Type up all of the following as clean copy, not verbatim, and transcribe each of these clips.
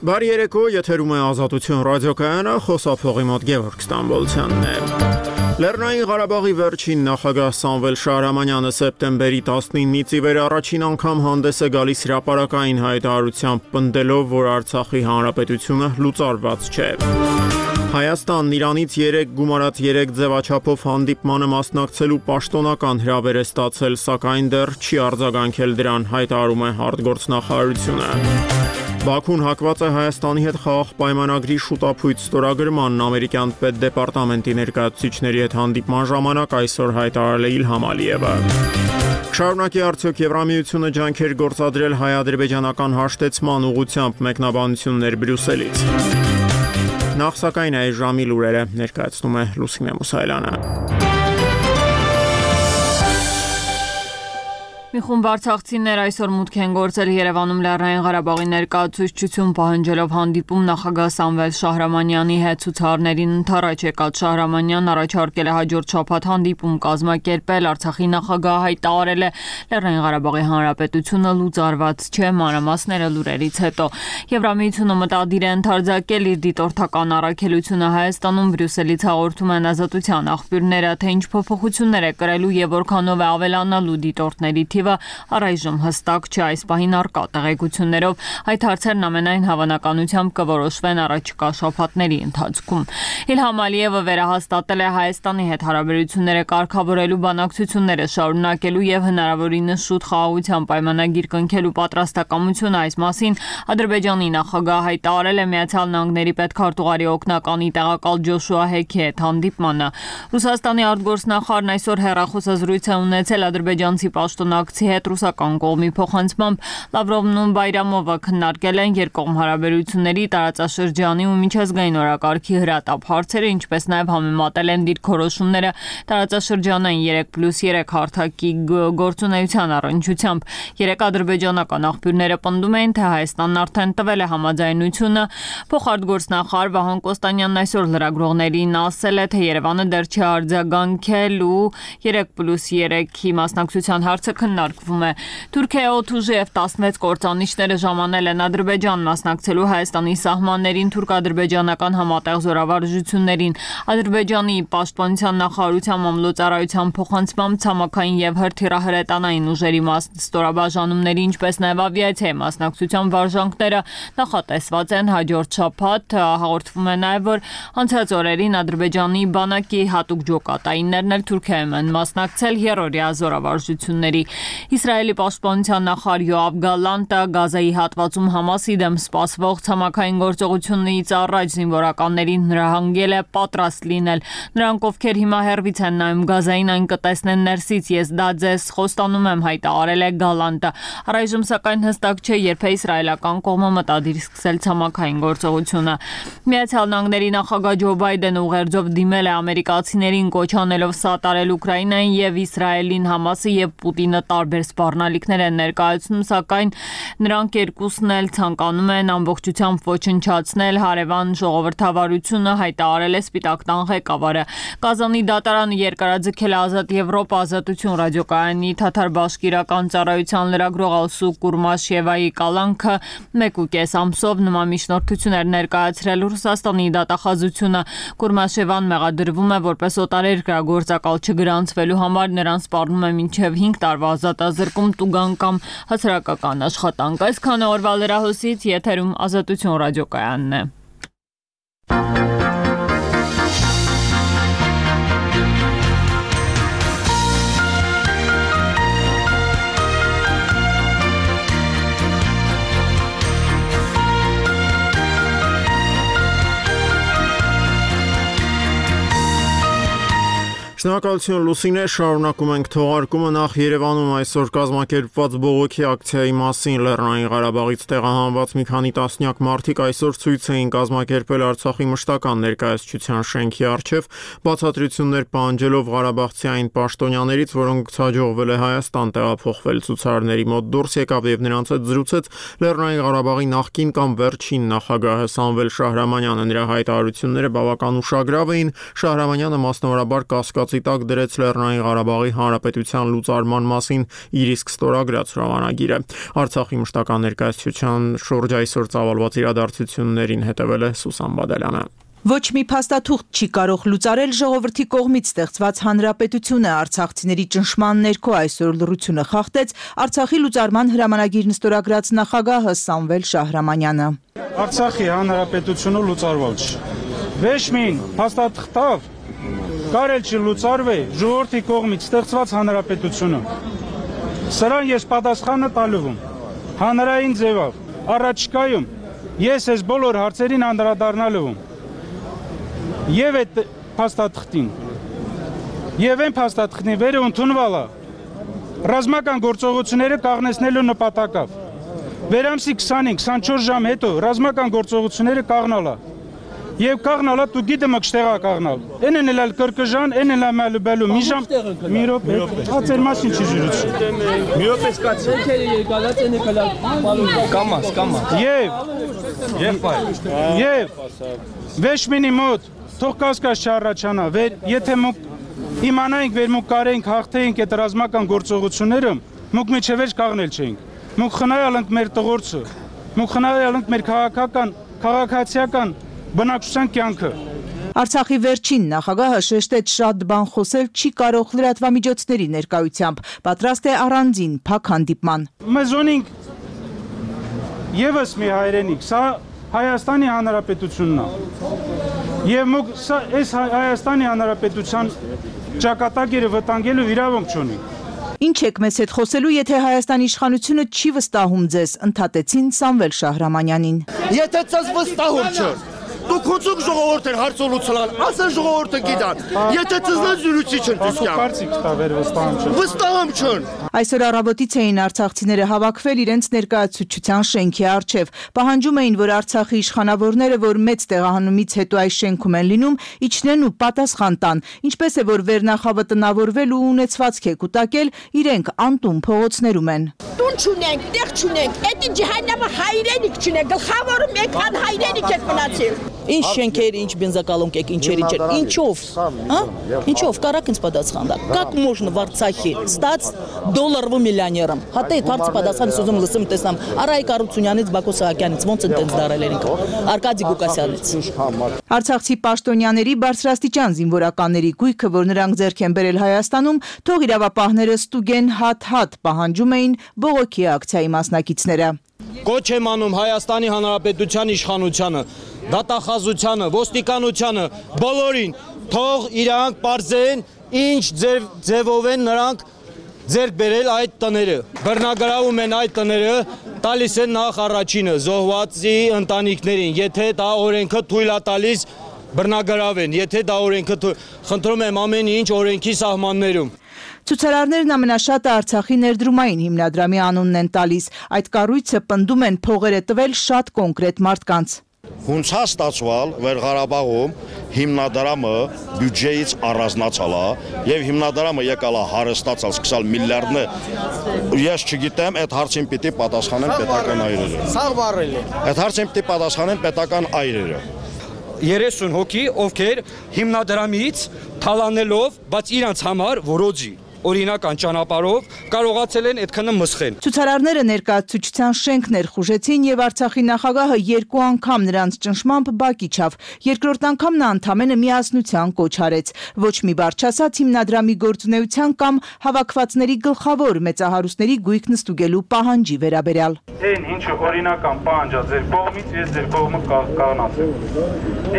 Բարի երեկո, եթերում է Ազատություն ռադիոկայանը, խոսափողի մոտ Գևորգ Ստամբոլցյանն է։ Լեռնային Ղարաբաղի վերջին նախագահ Սամվել Շահրամանյանը սեպտեմբերի 19-ից ի վեր առաջին անգամ հանդես է գալիս հրապարակային հայտարարությամբ, պնդելով, որ Արցախի հանրապետությունը լուծարված չէ։ Հայաստանն Իրանից 3 գումարած 3 ձևաչափով հանդիպմանը մասնակցելու պաշտոնական հրավեր է ստացել, սակայն դեռ չի արձագանքել դրան, հայտարարում է արտգործնախարարությունը։ Բաքուն հակված է Հայաստանի հետ խաղաղ պայմանագրի շուտափույթ ստորագրմանն, ամերիկյան պետդեպարտամենտի ներկայացուցիչների հետ հանդիպման ժամանակ այսօր հայտարարել է Իլհամ Ալիևը։ Շարունակի արդյոք Եվրամիությունը ջանքեր գործադրել հայ-ադրբեջանական հաշտեցման ուղղությամբ, մեկնաբանություններ Բրյուսելից։ Նախ սակայն այս ժամի լուրերը ներկայացնում է Լուսինե Մուսայելյանը։ Մի խումբ արցախցիներ այսօր մուտք են գործել Երևանում Լեռնային Ղարաբաղի ներկայացուցչություն պահանջելով հանդիպում նախագահ Սամվել Շահրամանյանի հետ։ Ցուցարարներին ընդառաջ եկած Շահրամանյանն առաջարկել է հաջորդ շաբաթ հանդիպում կազմակերպել։ Արցախի նախագահը հայտարարել է Լեռնային Ղարաբաղի հանրապետությունը լուծարված չէ, մանրամասները լուրերից հետո։ Եվրամիությունը մտադիր է ընդարձակել իր դիտորդական առաքելությունը Հայաստանում, Բրյուսելից հաղորդում են Ազատության աղբյուրները, թե ինչ փոփոխություններ է կրելու եւ որքանով է ավելանալու դիտորդների առայժմ հստակ չէ, այս պահին առկա տեղեկություններով այդ հարցերն ամենայն հավանականությամբ կորոշվեն առաջիկա շաբաթների ընթացքում։ Իլհամ Ալիևը վերահաստատել է Հայաստանի հետ հարաբերությունները կարգավորելու բանակցությունները շարունակելու եւ հնարավորինս շուտ խաղաղության պայմանագիր կնքելու պատրաստակամությունը։ Այս մասին Ադրբեջանի նախագահը հայտարարել է Միացյալ Նահանգների պետքարտուղարի օգնականի տեղակալ Ջոշուա Հեքի հետ հանդիպմանը։ Ռուսաստանի արտգործնախարարն այսօր հեռախոսազրույց է ունեցել ադրբեջանցի պաշտոնյա հետ ռուսական կողմի փոխանցմամբ Լավրովն ու Բայրամովը քննարկել են երկկողմ հարաբերությունների, տարածաշրջանի ու միջազգային օրակարգի հրատապ հարցերը, ինչպես նաև համեմատել են դիրքորոշումները տարածաշրջանային 3+3 հարթակի գործունեության առնչությամբ։ Երեք ադրբեջանական աղբյուրները պնդում են, թե Հայաստանն արդեն տվել է համաձայնությունը։ Փոխարտգործնախարար Վահան Կոստանյանն այսօր լրագրողներին ասել է, թե Երևանը դեռ չի արձագանքել ու 3+3-ի մասնակցության հարցը քննարկվում է։ Թուրքիայի օդուժի եւ 16 կործանիչները ժամանել են Ադրբեջան մասնակցելու Հայաստանի սահմաններին թուրք-ադրբեջանական համատեղ զորավարժություններին։ Ադրբեջանի պաշտպանության նախարարության մամլոյցարայության փոխանցմամբ ցամաքային եւ հրթիռահրետանային ուժերի ստորաբաժանումների, ինչպես նաեւ ավիացիայի մասնակցության վարժանքները նախատեսված են հաջորդ շաբաթ։ Հաղորդվում է նաեւ, որ անցած օրերին Ադրբեջանի բանակի հատուկ ջոկատայիններն էլ Թուրքիայում են մասնակցել երրորդյա զորավարժությունների։ Իսրայելի պաշտպանության նախարար Յոավ Գալանտը Գազայի հատվածում Համասի դեմ սպասվող ցամաքային գործողությունից առաջ զինվորականներին հրահանգել է պատրաստ լինել։ Նրանք, ովքեր հիմա հեռվից են նայում Գազային, այն կտեսնեն ներսից, ես դա ձեզ խոստանում եմ, հայտարարել է Գալանտը։ Առայժմ սակայն հստակ չէ, երբ է իսրայելական կողմը մտադիր սկսել ցամաքային գործողությունը։ Միացյալ Նահանգների նախագահ Ջո Բայդենը ուղերձով դիմել է ամերիկացիներին, կոչ անելով սատարել Ուկրաինային եւ Իսրայելին։ Համասը եւ Պուտինը տարբեր սպառնալիքներ են ներկայացնում, սակայն նրանք երկուսն էլ ցանկանում են ամբողջությամբ ոչնչացնել հարևան ժողովրդավարությունը, հայտարարել է Սպիտակ տան ղեկավարը։ Կազանի դատարանը երկարաձգել է Ազատ Եվրոպա Ազատություն ռադիոկայանի թաթար բաշկիրական ծառայության լրագրող Ալսու Կուրմաշևայի կալանքը 1.5 ամսով նման միջնորդություններ ներկայացրել Ռուսաստանի դատախազությունը։ Կուրմաշևան մեղադրվում է որպես օտարերկրագործակալ չգրանցվելու համար, նրան սպառնում է մինչև 5 տարվա ազատազրկում, տուգան կամ հասարակական աշխատանք։ Այսքանը օրվա լրահոսից, եթերում Ազատություն ռադիոկայանն է։ Շնորհակալություն Լուսինե, շարունակում ենք թողարկումը։ Նախ Երևանում այսօր կազմակերպված բողոքի ակցիայի մասին Լեռնային Ղարաբաղից տեղահանված մի քանի տասնյակ մարդիկ այսօր ցույց էին կազմակերպել Արցախի մշտական ներկայացչության շենքի առջև, բացատրություններ պահանջելով ղարաբաղցի այն պաշտոնյաներից, որոնց հաջողվել է Հայաստան տեղափոխվել։ Ցուցարարների մոտ դուրս եկավ եւ նրանց հետ զրուցեց Լեռնային Ղարաբաղի նախկին կամ վերջին նախագահը Սամվել Շահրամանյանը։ Նրա հայտարարությունները բավական ուշագրավ էին։ Շահրամանյանը մասնավորաբար կասկածի գործի տակ դրեց Լեռնային Ղարաբաղի Հանրապետության լուծարման մասին իր իսկ ստորագրած հրամանագիրը։ Արցախի մշտական ներկայացության շուրջ այսօր ծավալված իրադարձություններին հետևել է Սուսան Բադալյանը։ Ոչ մի փաստաթուղթ չի կարող լուծարել ժողովրդի կողմից ստեղծված հանրապետությունը, արցախցիների ճնշման ներքո այսօր լռությունը խախտեց Արցախի լուծարման հրամանագիրն ստորագրած նախագահը Սամվել Շահրամանյանը։ Արցախի հանրապետությունը լուծարվել չի։ Ոչ մի փաստաթղթով կարել չի լուծարվել ժողովրդի կողմից ստեղծված հանրապետությունը։ Սրան ես պատասխանը տալու եմ հանրային ձևով։ Առաջիկայում ես այս բոլոր հարցերին անդրադառնալու եմ։ Եվ այդ փաստաթղթին եւ այն փաստաթղթին վերը ընդունվալա ռազմական գործողությունները կաղնեցնելու նպատակով վերամսի 25-24 ժամ հետո ռազմական գործողությունները կաղնալա եւ կաղնալա դու գիտեմ ըկշտեղա կաղնալ են էլ կրկժան են էլ մալուբելու մի ժամ մի րոպե հացեր մասին չի ժուրություն մի րոպե սկացի եկալած են կամաս եւ վեշմինի մոտ թող կասկած չառաջանա, եթե մենք իմանայինք, որ մենք կարեինք հաղթեինք այդ ռազմական գործողությունները, մենք միջևեր կաղնել չէինք։ Մենք խնայալ ենք մեր տղորցը, մենք խնայալ ենք մեր քաղաքացիական բնակչության կյանքը։ Արցախի վերջին նախագահը շեշտեց շատ բան խոսել չի կարող լրատվամիջոցների ներկայությամբ, պատրաստ է առանձին փակ հանդիպման։ Մեզ ունենք եւս մի հայրենիք, սա Հայաստանի Հանրապետությունն է։ Եվ մենք այս Հայաստանի Հանրապետության ճակատագիրը վտանգելու իրավունք չունի։ Ինչ եք մեզ հետ խոսելու, եթե Հայաստանի իշխանությունը չի վստահում ձեզ, ընդհատեցին Սամվել Շահրամանյանին։ Եթե ձեզ վստահում չէ, դուք հուցուկ ժողովուրդ են հարցոլուցլան, ասեն ժողովուրդը գիտան, եթե ձեզ զրույցի չեն դիսկյամ։ Վստահում չեն։ Այսօր առավոտից էին արցախցիները հավաքվել իրենց ներկայացուցչության շենքի առջև, պահանջում էին, որ Արցախի իշխանավորները, որ մեծ տեղահանումից հետո այս շենքում են լինում, իջնեն ու պատասխան տան, ինչպես է որ վերնախավը տնավորվել ու ունեցվածք է կուտակել, իրենք անտուն փողոցներում են։ Տուն չունենք, տեղ չունենք, էդի ջհաննամը հայրենիք չունենք, գլխավորը մեկ հատ հայրենիք եք մնացել։ Ինչ շենքեր, ինչ բենզակալոնք եք, ինչերի չէր, ինչով, ինչով, կարակ ինձ պատասխան դա, как можно в Արցախի ստաց դոլարով միլիոներом, հատե հարց պատասխանից ուզում լսում տեսնամ, Արայիկ Արությունյանից, Բակո Սահակյանից, ոնց են տենց դարել են, Արկադի Գուկասյանից։ Արցախցի պաշտոնյաների բարձրաստիճան զինվորականների գույքը, որ նրանք ձեռք են բերել Հայաստանում, թող իրավապահները ստուգեն հատ-հատ պահանջում էին բողոքի ակցիայի մասնակիցները։ Կոչ եմ անում Հայաստանի Հանրապետության իշխանությանը, դատախազությանը, ոստիկանությանը, բոլորին, թող իրանք պարզեն, ինչ ձևով են նրանք ձեռք բերել այդ տները, բռնագրավում են այդ տները, տալիս են նախ առաջինը, զոհվածի ընտանիքներին, եթե դա օրենքը թույլ է տալիս բռնագրավեն, եթե դա օրենքը խնդրում եմ ամեն ինչ օրենքի սահմաններում։ Ցուցարարներն ամենաշատը Արցախի ներդրումային հիմնադրամի անունն են տալիս, այդ կառույցը պնդում են փողեր է տվել շատ կոնկրետ մարդկանց։ Հունցա ստացվալ, որ Ղարաբաղում հիմնադրամը բյուջեից առանձնացալ է եւ հիմնադրամը եկալ է հարստացալ, սկսալ միլիարդներ։ Ես չգիտեմ, այդ հարցին պիտի պատասխանեն պետական այրերը։ Սաղ բարել է։ Այդ հարցին պիտի պատասխանեն պետական այրերը։ 30 հոգի, ովքեր հիմնադրամից թալանելով, բայց իրանց համար որոջի օրինական ճանապարհով կարողացել են այդքանը մսխեն։ Ցուցարարները ներկայացուցչության շենք ներխուժեցին եւ Արցախի նախագահը երկու անգամ նրանց ճնշմամբ բակ իջավ։ Երկրորդ անգամ նա ընդամենը միասնության կոչ արեց։ Ոչ մի բառ չասաց հիմնադրամի գործունեության կամ հավաքվածների գլխավոր մեծահարուստների գույքն ստուգելու պահանջի վերաբերյալ։ Այն ինչը օրինական պահանջ է ձեր կողմից, ես ձեր կողմը կանացեմ։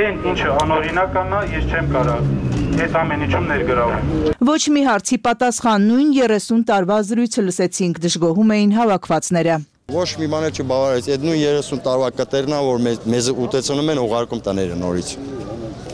Այն ինչը անօրինական է, ես չեմ կարող այդ ամեն ինչում ներգրավում։ Ոչ մի հարցի պատասխան նույն 30 տարվա զրույցը լսեցինք, դժգոհում էին հավաքվածները։ Ոչ մի բան չբավարարեց, այդ նույն 30 տարվա կտերն է, որ մեզ ուտեցնում են ուղարկում տները նորից։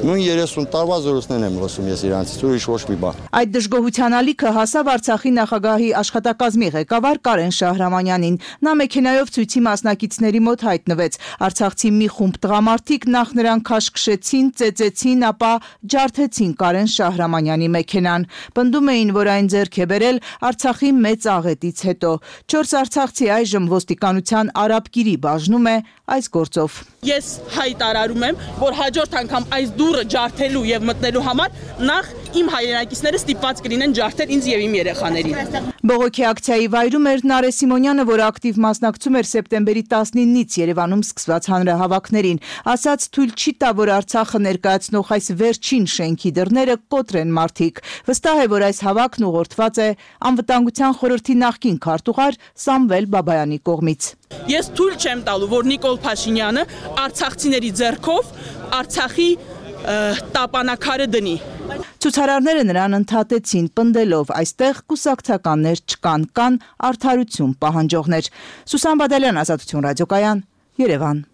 Նույն 30 տարվա զրույցներն եմ լսում ես իրանցից, ուրիշ ոչ մի բան։ Այդ դժգոհության ալիքը հասավ Արցախի նախագահի աշխատակազմի ղեկավար Կարեն Շահրամանյանին։ Նա մեքենայով ցույցի մասնակիցների մոտ հայտնվեց։ Արցախցի մի խումբ տղամարդիկ նախ նրան քաշքշեցին, ծեծեցին, ապա ջարդեցին Կարեն Շահրամանյանի մեքենան։ Պնդում էին, որ այն ձեռք է բերել Արցախի մեծ աղետից հետո։ 4 արցախցի այժմ ոստիկանության արաբկիրի բաժնում է այս գործով։ Ես հայտարարում եմ, որ հաջորդ անգամ այս դու դուռը ջարդելու եւ մտնելու համար նախ իմ հայրենակիցները ստիպված կլինեն ջարդել ինձ եւ իմ երեխաներին։ Բողոքի ակցիայի վայրում էր Նարե Սիմոնյանը, որը ակտիվ մասնակցում էր սեպտեմբերի 19-ից Երևանում սկսված հանրահավաքներին, ասաց թույլ չի տա, որ Արցախը ներկայացնող այս վերջին շենքի դռները կոտրեն մարդիկ։ Վստահ է, որ այս հավաքն ուղղորդված է Անվտանգության խորհրդի նախկին քարտուղար Սամվել Բաբայանի կողմից։ Ես թույլ չեմ տալու, որ Նիկոլ Փաշինյանը արցախցիների ձեռքով Արցախի տապանակարը դնի։ Ցուցարարները նրան ընդհատեցին, պնդելով այստեղ կուսակցականներ չկան, կան արդարություն պահանջողներ։ Սուսան Բադալյան, Ազատություն ռադիոկայան, Երևան։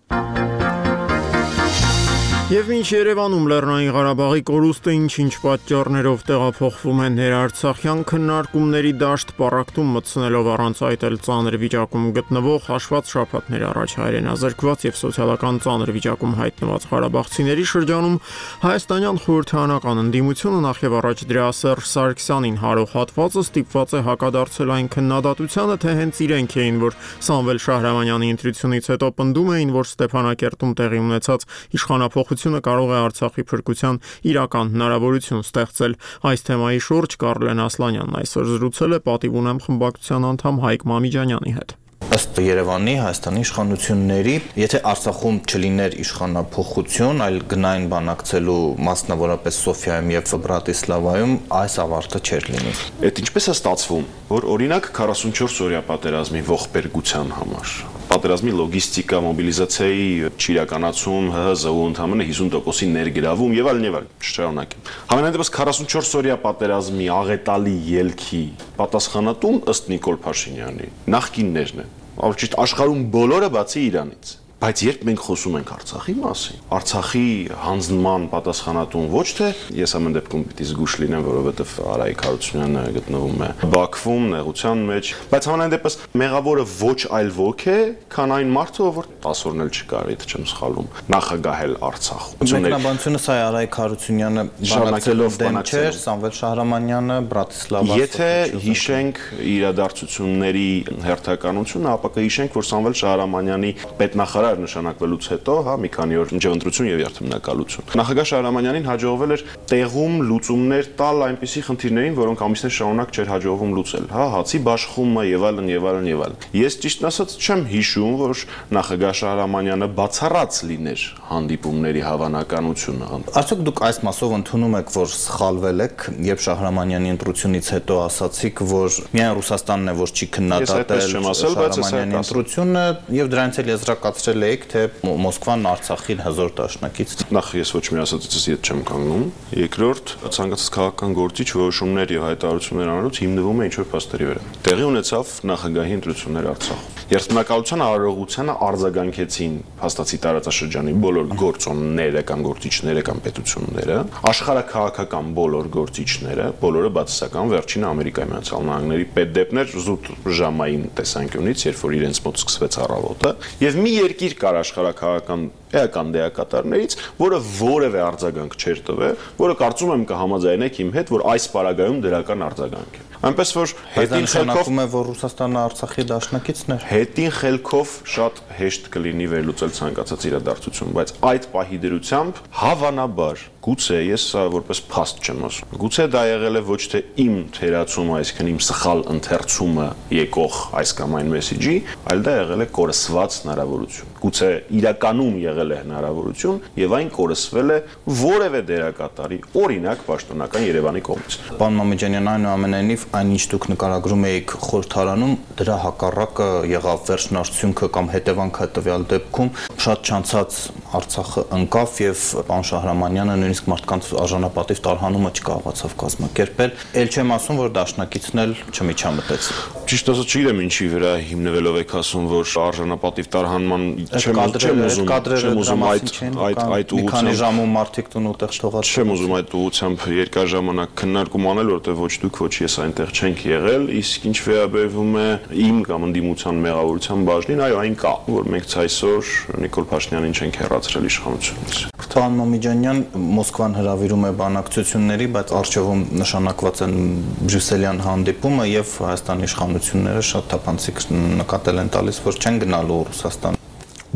Եվ մինչ Երևանում Լեռնային Ղարաբաղի կորուստը ինչ պատճառներով տեղափոխվում է ներարցախյան քննարկումների դաշտ, պառակտում մտցնելով առանց այդ էլ ծանր վիճակում գտնվող հաշված շաբաթներ առաջ հայրենազրկված եւ սոցիալական ծանր վիճակում հայտնված ղարաբաղցիների շրջանում հայաստանյան խորհրդարանական ընդդիմությունը նախ եւ առաջ դրա Սերժ Սարգսյանին հարող հատվածը ստիպված է հակադարձել այն քննադատությանը, թե հենց իրենք էին, որ Սամվել Շահրամանյանի ընտրությունից հետո պնդում էին, որ Ստեփանակերտում տեղի ունեցած իշխանափոխությունը կարող է Արցախի փրկության իրական հնարավորություն ստեղծել։ Այս թեմայի շուրջ Կարլեն Ասլանյանն այսօր զրուցել է պատիվ ունեմ խմբակցության անդամ Հայկ Մամիջանյանի հետ։ Ըստ Երևանի, Հայաստանի իշխանությունների, եթե Արցախում չլիներ իշխանափոխություն, այլ գնային բանակցելու մասնավորապես Սոֆիայում եւ Բրատիսլավայում, այս ավարտը չէր լինի։ Այդ ինչպես է ստացվում, որ օրինակ 44 օրյա պատերազմի ողբերգության համար պատերազմի լոգիստիկա, մոբիլիզացիայի չիրականացում, ՀՀԶ-ու ընդամենը 50%-ի ներգրավում եւ այլն եւ այլն, շարունակեմ։ Համենայնդեպս 44 օրյա պատերազմի աղետալի ելքի պատասխանատուն ըստ Նիկոլ Փաշինյանի նախկիններն են, ճիշտ աշխարհում բոլորը բացի Իրանից։ Բայց երբ մենք խոսում ենք Արցախի մասին, Արցախի հանձնման պատասխանատուն ոչ թե ես ամեն դեպքում պիտի զգուշ լինեմ, որովհետև Արայիկ Հարությունյանը գտնվում է Բաքվում, նեղության մեջ, բայց համենայնդեպս մեղավորը ոչ այլ ոք է, քան այն մարդը, որ 10 օրն էլ չկար, եթե չեմ սխալվում, նախագահել Արցախում։ Մեկնաբանությունը սա է Արայիկ Հարությունյանը բանակցելով դեմ չէր, Սամվել Շահրամանյանը Բրատիսլավա։ Եթե հիշենք իրադարձությունների հերթականությունը, ապա կհիշենք, որ Սամվել Շահրամանյանի պետնախարար նշանակվելուց հետո, մի քանի օր ընտրություն եւ երթմնակալություն։ Նախագահ Շահրամանյանին հաջողվել էր տեղում լուծումներ տալ այնպիսի խնդիրներին, որոնք ամիսներ շարունակ չէր հաջողվում լուծել, հացի բաշխումը եւ այլն եւ այլն եւ այլն։ Ես ճիշտն ասած չեմ հիշում, որ նախագահ Շահրամանյանը բացառած լիներ հանդիպումների հավանականությունը։ Արդյոք դուք այս մասով ընդունում եք, որ սխալվել եք, երբ Շահրամանյանի ընտրությունից հետո ասացիք, որ միայն Ռուսաստանն է, որ չի քննադատել Շահրամանյանի ընտրությունը եւ դրանից էլ եզրակացրել եք, թե Մոսկվան Արցախին հզոր դաշնակից։ Նախ ես ոչ մի ասացից ետ չեմ կանգնում։ Երկրորդ, ցանկացած քաղաքական գործիչ որոշումներ եւ հայտարարություններ անելուց հիմնվում է ինչ-որ փաստերի վրա։ Տեղի ունեցավ նախագահի ընտրություններ Արցախում։ Երթմնակալության արարողությանը արձագանքեցին փաստացի տարածաշրջանի բոլոր գործոնները կամ գործիչները կամ պետությունները, աշխարհաքաղաքական բոլոր գործիչները, բոլորը բացասական վերջինը Ամերիկայի Միացյալ Նահանգների պետդեպներ զուտ ժամային տեսանկյունից, երբ որ իրենց մոտ սկսվեց առավոտը, եւ մի երկիր կար աշխարհաքաղաքական էական դեակատարներից, որը որևէ արձագանք չէր տվել, որը կարծում եմ կհամաձայնեք իմ հետ, որ այս պարագայում դրական արձագանք է։ Այնպես որ հետին խելքով է, որ Ռուսաստանը Արցախի դաշնակիցն էր։ Հետին խելքով շատ հեշտ կլինի վերլուծել ցանկացած իրադարձություն, բայց այդ պահի դրությամբ հավանաբար գուցե ես սա որպես փաստ չեմ ասում։ Գուցե դա եղել է ոչ թե իմ թերացումը, այսինքն իմ սխալ ընթերցումը եկող այս կամ այն մեսեջի, այլ դա եղել է կորսված հնարավորություն։ Գուցե իրականում եղել է հնարավորություն եւ այն կորսվել է որևէ դերակատարի, օրինակ պաշտոնական Երևանի կողմից։ Պարոն Մամիջանյան, այնուամենայնիվ այն ինչ դուք նկարագրում եք խորհրդարանում, դրա հակառակը եղավ վերջնարդյունքը կամ հետևանքը տվյալ դեպքում շատ չանցած Արցախը ընկավ եւ պարոն Շահրամանյանը նույնիսկ մարդկանց արժանապատիվ տարհանումը չկարողացավ կազմակերպել։ Էլ չեմ ասում, որ դաշնակիցն էլ չմիջամտեց։ Ճիշտ ասած չգիտեմ ինչի վրա հիմնվելով եք ասում, որ արժանապատիվ տարհանման չեմ ուզում այդ մի քանի ժամում մարդիկ տուն ուտեղ թողած։ Չեմ ուզում այդ ուղղությամբ երկար ժամանակ քննարկում անել, որտեղ ոչ դուք, ոչ ես այնտեղ չենք եղել, իսկ ինչ վերաբերվում է իմ կամ ընդդիմության մեղավորության բաժնին, այո, այն կա, որ մենք այսօր Նիկոլ Փաշինյանին չենք հեռացրել իշխանությունից։ Պարոն Մամիջանյան, Մոսկվան հրավիրում է բանակցությունների, բայց առջևում նշանակված են բրյուսելյան հանդիպումը եւ Հայաստանի իշխանությունները շատ թափանցիկ նկատել են տալիս, որ չեն գնալու Ռուսաստան։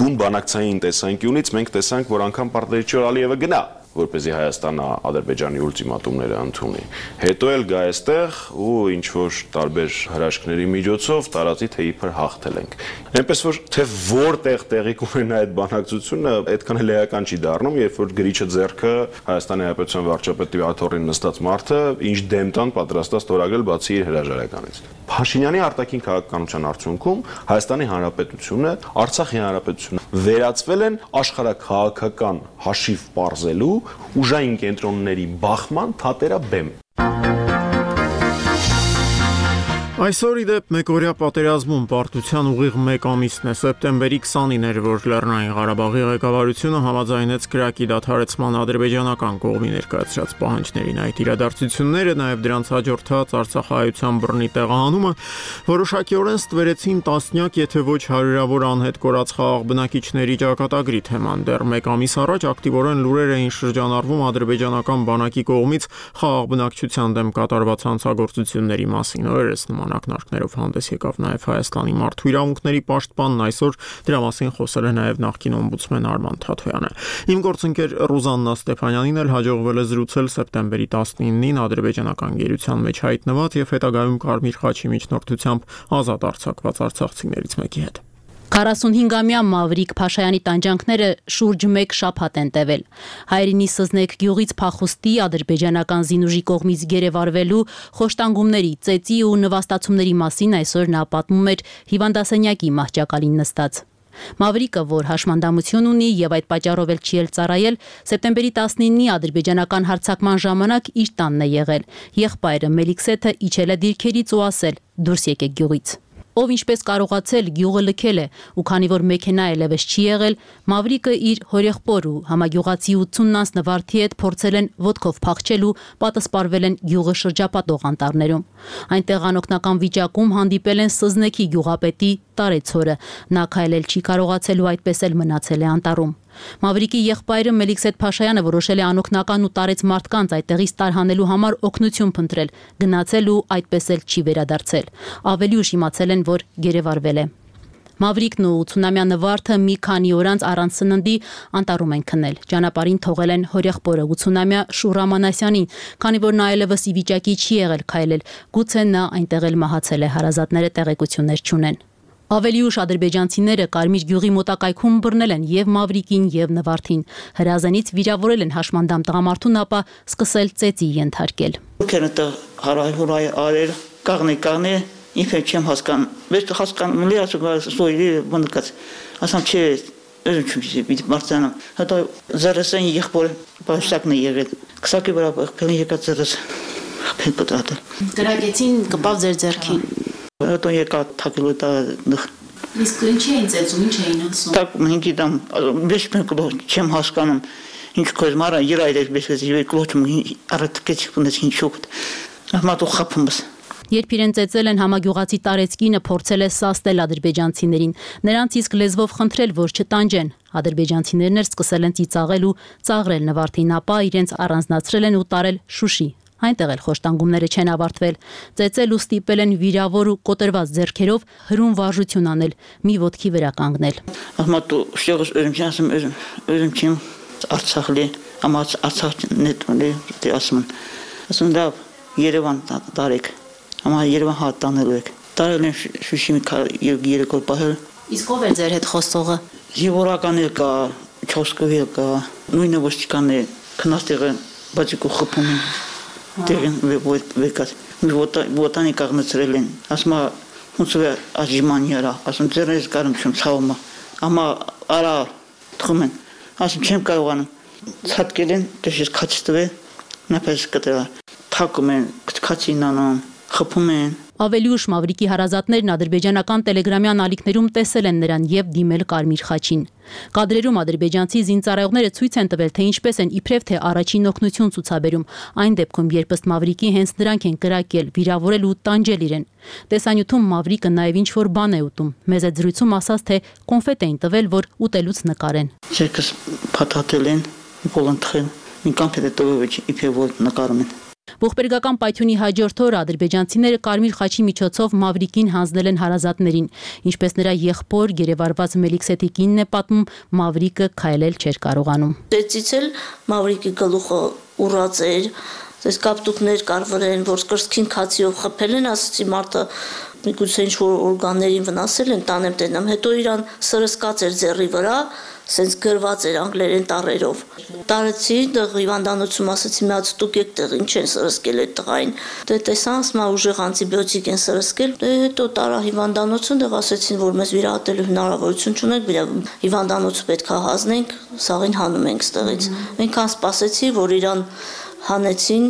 Բուն բանակցային տեսանկյունից մենք տեսանք, որ անգամ պարտադրիչոր Ալիևը գնա որպեսզի Հայաստանը Ադրբեջանի ուլտիմատումները ընդունի։ Հետո էլ գա այստեղ ու ինչ որ տարբեր հրաշքների միջոցով տարածի թե իբր հաղթել ենք։ Այնպես որ թե որտեղ տեղի կունենա այդ բանակցությունը, այդքան էլ էական չի դառնում, երբ որ գրիչը ձեռքը Հայաստանի Հանրապետության վարչապետի աթոռին նստած մարդը ինչ դեմ տան պատրաստած ստորագրել բացի իր հրաժարականից։ Փաշինյանի արտաքին քաղաքականության արդյունքում Հայաստանի Հանրապետությունը, Արցախի Հանրապետությունը վերածվել են աշխարհաքաղաքական հաշիվ պարզելու ուժային կենտրոնների բախման թատերաբեմ։ Այսօր ի դեպ մեկօրյա պատերազմում պարտության ուղիղ 1 ամիսն է, սեպտեմբերի 20-ին էր, որ Լեռնային Ղարաբաղի ղեկավարությունը համաձայնեց կրակի դադարեցման ադրբեջանական կողմի ներկայացրած պահանջներին։ Այդ իրադարձությունները, նաև դրանց հաջորդած արցախահայության բռնի տեղահանումը որոշակիորեն ստվերեցին տասնյակ, եթե ոչ հարյուրավոր անհետ կորած խաղաղ բնակիչների ճակատագրի թեման։ Դեռ 1 ամիս առաջ ակտիվորեն լուրեր էին շրջանառվում ադրբեջանական բանակի կողմից խաղաղ բնակչության դեմ կատարված հանցագործությունների մասին։ Օրերս նման ակնարկներով հանդես եկավ նաև Հայաստանի մարդու իրավունքների պաշտպանն, այսօր դրա մասին խոսել է նաև նախկին օմբուդսմեն Արման Թաթոյանը։ Իմ գործընկեր Ռուզաննա Ստեփանյանին էլ հաջողվել է զրուցել սեպտեմբերի 19-ին ադրբեջանական գերության մեջ հայտնված եւ հետագայում Կարմիր խաչի միջնորդությամբ ազատ արձակված արցախցիներից մեկի հետ։ 45-ամյա Մավրիկ Փաշայանի տանջանքները շուրջ 1 շաբաթ են տևել։ Հայրենի Սզնեկ գյուղից փախուստի ադրբեջանական զինուժի կողմից գերեվարվելու խոշտանգումների, ծեծի ու նվաստացումների մասին այսօր նա պատմում էր հիվանդասենյակի մահճակալին նստած։ Մավրիկը, որ հաշմանդամություն ունի եւ այդ պատճառով էլ չի էլ ծառայել, սեպտեմբերի 19-ի ադրբեջանական հարձակման ժամանակ իր տանն է եղել։ Եղբայրը Մելիքսեթը իջել է դիրքերից ու ասել. «Դուրս եկեք գյուղից»։ Ով ինչպես կարողացել գյուղը լքել է, ու քանի որ մեքենա այլևս չի եղել, Մավրիկը իր հորեղբոր ու համագյուղացի 80-անց նվարդի հետ փորձել են ոտքով փախչել ու պատասպարվել են գյուղը շրջապատող անտառներում։ Այնտեղ անօգնական վիճակում հանդիպել են Սզնեքի գյուղապետի Տարեցորը։ Նա քայլել չի կարողացել ու այդպես էլ մնացել է անտառում։ Մավրիկի եղբայրը Մելիքսեթ Փաշայանը որոշել է անօգնական ու տարեց մարդկանց այդտեղից տարհանելու համար օգնություն փնտրել, գնացել ու այդպես էլ չի վերադարձել։ Ավելի ուշ իմացել են, որ գերեվարվել է։ Մավրիկն ու 80-ամյա նվարդը մի քանի օր անց առանց սննդի անտառում են քնել։ Ճանապարհին թողել են հորեղբորը 80-ամյա Շուրա Մանասյանին, քանի որ նա այլևս ի վիճակի չի եղել քայլել, գուցե նա այնտեղ էլ մահացել է, հարազատները տեղեկություններ չունեն։ Ավելի ուշ ադրբեջանցիները Կարմիր գյուղի մոտակայքում բռնել են եւ Մավրիկին եւ Նվարդին։ Հրազենից վիրավորել են հաշմանդամ տղամարդուն, ապա սկսել ծեծի ենթարկել։ Հարայ արել կաղնի ինքը չեմ հասկանում։ Բայց հասկանում լի ասում սոյի բնկած։ Ասամ չէ, özüm çünkü Mart'tan hatta zarısan yıkbol baştakını եղել քսակի վրա քանի եկած զրս փել պատատել գրագեցին կպավ ձեր ձեռքին հետո եկա թակելու տա իսկ ինչ էին ծեծում ինչ էին ասում так ինքի դամ ոչ մեկ չեմ հասկանում ինչ կոզմարա երայր բեսես եւ կլոչում արատկեց ունես ինչ շոկտ ահմատու խափումս Երբ իրեն ծեծել են համագյուղացի Տարեցկինը փորձել է սաստել ադրբեջանցիներին, նրանց իսկ լեզվով խնդրել, որ չտանջեն։ Ադրբեջանցիներն էլ սկսել են ծիծաղել ու ծաղրել Նվարդին, ապա իրենց առանձնացրել են ու տարել Շուշի։ Այնտեղ էլ խոշտանգումները չեն ավարտվել։ Ծեծել ու ստիպել են վիրավոր ու կոտրված ձեռքերով հրում վարժություն անել, մի ոտքի վրա կանգնել։ Ահմատու շեղս özüm չեմ Արցախլի, ամաց Արցախնետունի դասմն։ Ասում դա Երևան տարեք Ama Երևան հատանելու եք։ Տարել են Շուշի երեք օր պահել։ Իսկ ով է ձեր հետ խոսողը։ Զինվորականն կա, Չոսկովի կա, նույնը ոստիկանն է, քնաստեղը բացիկու խփում են։ Դերեն վեկած։ Մի ոտանի կաղնեցրել են։ Ասում ոնց է աժիմանիրա, ասում ձերից կարում չեմ ցավում։ Ama արա թխում են։ Ասում չեմ կարողանում։ Ցածկել են, դժես քաչտվե, նապես կտրա։ Թակում են, քաչին անում։ Խփում են Ավելի ուշ Մավրիկի հարազատներն ադրբեջանական տելեգրամյան ալիքներում տեսել են նրան եւ դիմել Կարմիր խաչին։ Կադրերում ադրբեջանցի զինծառայողները ցույց են տվել, թե ինչպես են իբրև թե առաջին օգնություն ցուցաբերում, այն դեպքում, երբ ըստ Մավրիկի հենց նրանք են կրակել, վիրավորել ու տանջել իրեն։ Տեսանյութում Մավրիկը նաեւ ինչ-որ բան է ուտում։ Մեզ այդ զրույցում ասաց, թե կոնֆետ էին տվել, որ ուտելուց նկարեն։ Չեկս փաթաթել են, բոլոնթխեն, մի կոնֆետ տվել, իբրև որ նկարում են։ Ողբերգական պայթյունի հաջորդ օրը ադրբեջանցիները կարմիր խաչի միջոցով Մավրիկին հանձնել են հարազատներին, ինչպես նրա եղբոր գերեվարված Մելիքսեթի կինն է պատմում, Մավրիկը քայլել չէր կարողանում։ Դեցից էլ Մավրիկի գլուխը ուռած էր, այս կապտուկներ կար վրան, որ կրծքին քացիով խփել են, ասացի մարդը միգուցե ինչ-որ օրգաններին վնասել են, տանեմ տենամ, հետո իրան սրսկած էր ձեռի վրա, սենց գրված էր անգլերեն տառերով։ Տարեցի դեղ հիվանդանոցում, ասացի մի հատ ստուգեք տեղ ինչ են սրսկել այդ տղային։ Դե տեսա, ասում ուժեղ անտիբիոտիկ են սրսկել, դե հետո տարա հիվանդանոցում, դեղ ասեցին, որ մեզ վիրահատելու հնարավորություն չունենք, հիվանդանոցը պետք է հանձնենք, սաղին հանում ենք ստեղից։ Այնքան սպասեցի, որ իրան հանեցին,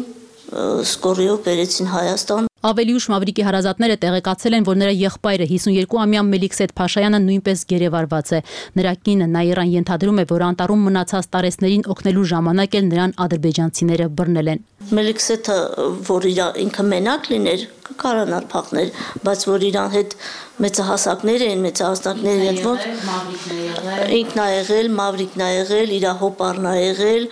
սկորիով բերեցին Հայաստան։ Ավելի ուշ Մավրիկի հարազատները տեղեկացել են, որ նրա եղբայրը 52-ամյա Մելիքսեթ Փաշայանը նույնպես գերեվարված է։ Նրա կինը Նաիրան ենթադրում է, որ անտառում մնացած տարեցներին օգնելու ժամանակ էլ նրան ադրբեջանցիները բռնել են։ Մելիքսեթը, որ ինքը մենակ լիներ, կարանալ փախներ, բայց որ իրան հետ մեծահասակներ են, մեծահասակներ են, որ ինքն ա եղել, Մավրիկն ա եղել, իր հոպարն ա եղել,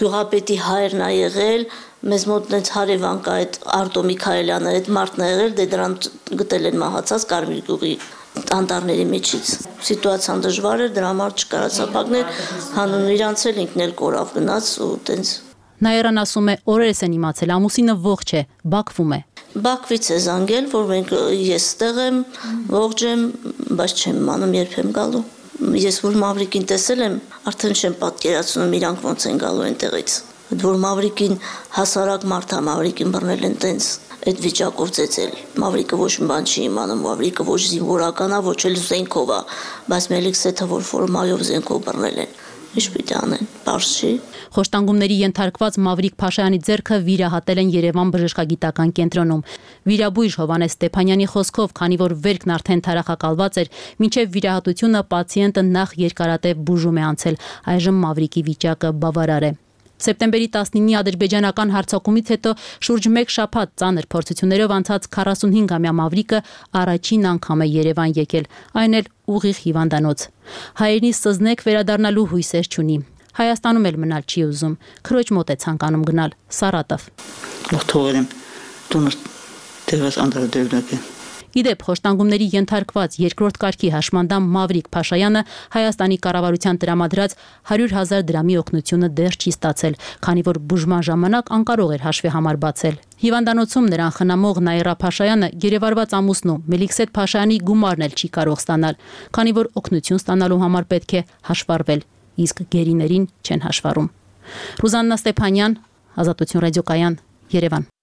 գյուղապետի հայրն ա եղել, մեզ մոտ նենց հարևան կա այդ Արտո Միքայելյանը, այդ մարդն ա եղել, դե դրան գտել են մահացած Կարմիր գյուղի անտառների միջից։ Սիտուացիան դժվար էր, դրա համար չկարացա փակներ, հանուն իրանց էլ ինքն էլ կորավ գնաց ու տենց։ Նաիրան ասում է, օրերս են իմացել, ամուսինը ողջ է, Բաքվում է։ Բաքվից է զանգել, որ մենք ես ստեղ եմ, ողջ եմ, բայց չեմ իմանում երբ եմ գալու։ Ես որ Մավրիկին տեսել եմ, արդեն չեմ պատկերացնում իրանք ոնց են գալու այնտեղից։ Որ Մավրիկին հասարակ մարդ է, Մավրիկին բռնել են տենց այդ վիճակով ծեծել։ Մավրիկը ոչ մի բան չի իմանում, Մավրիկը ոչ զինվորական է, ոչ էլ զենքով է, բայց Մելիքսեթը որ ֆորմայով զենքով բռնել են։ Ինչ պիտի անեն, պարզ չի։ Խոշտանգումների ենթարկված Մավրիկ Փաշայանի ձեռքը վիրահատել են Երևան բժշկագիտական կենտրոնում։ Վիրաբույժ Հովհաննես Ստեփանյանի խոսքով, քանի որ վերքն արդեն թարախակալված էր, մինչև վիրահատությունը պացիենտը նախ երկարատև բուժում է անցել, այժմ Մավրիկի վիճակը բավարար է։ Սեպտեմբերի 19-ի ադրբեջանական հարձակումից հետո շուրջ 1 շաբաթ ծանր փորձություններով անցած 45-ամյա Մավրիկը առաջին անգամ է Երևան եկել, այն էլ ուղիղ հիվանդանոց։ Հայրենի սզնեք վերադառնալու հույսեր չունի։ Հայաստանում էլ մնալ չի ուզում, քրոջ մոտ է ցանկանում գնալ, Սարատով։ Թողերեմ տունս դերս անդրադերնակ է։ Իդեպ խոշտանգումների ենթարկված երկրորդ կարգի հաշմանդամ Մավրիկ Փաշայանը Հայաստանի կառավարության տրամադրած 100,000 դրամի օգնությունը դեռ չի ստացել, քանի որ բուժման ժամանակ անկարող էր հաշվի համար բացել։ Հիվանդանոցում նրան խնամող Նաիրա Փաշայանը գերեվարված ամուսնու Մելիքսեթ Փաշայանի գումարն էլ չի կարող ստանալ, քանի որ օգնություն ստանալու համար պետք է հաշվառվել, իսկ գերիներին չեն հաշվառում։ Ռուզաննա Ստեփանյան, Ազատություն ռադիոկայան, Երևան։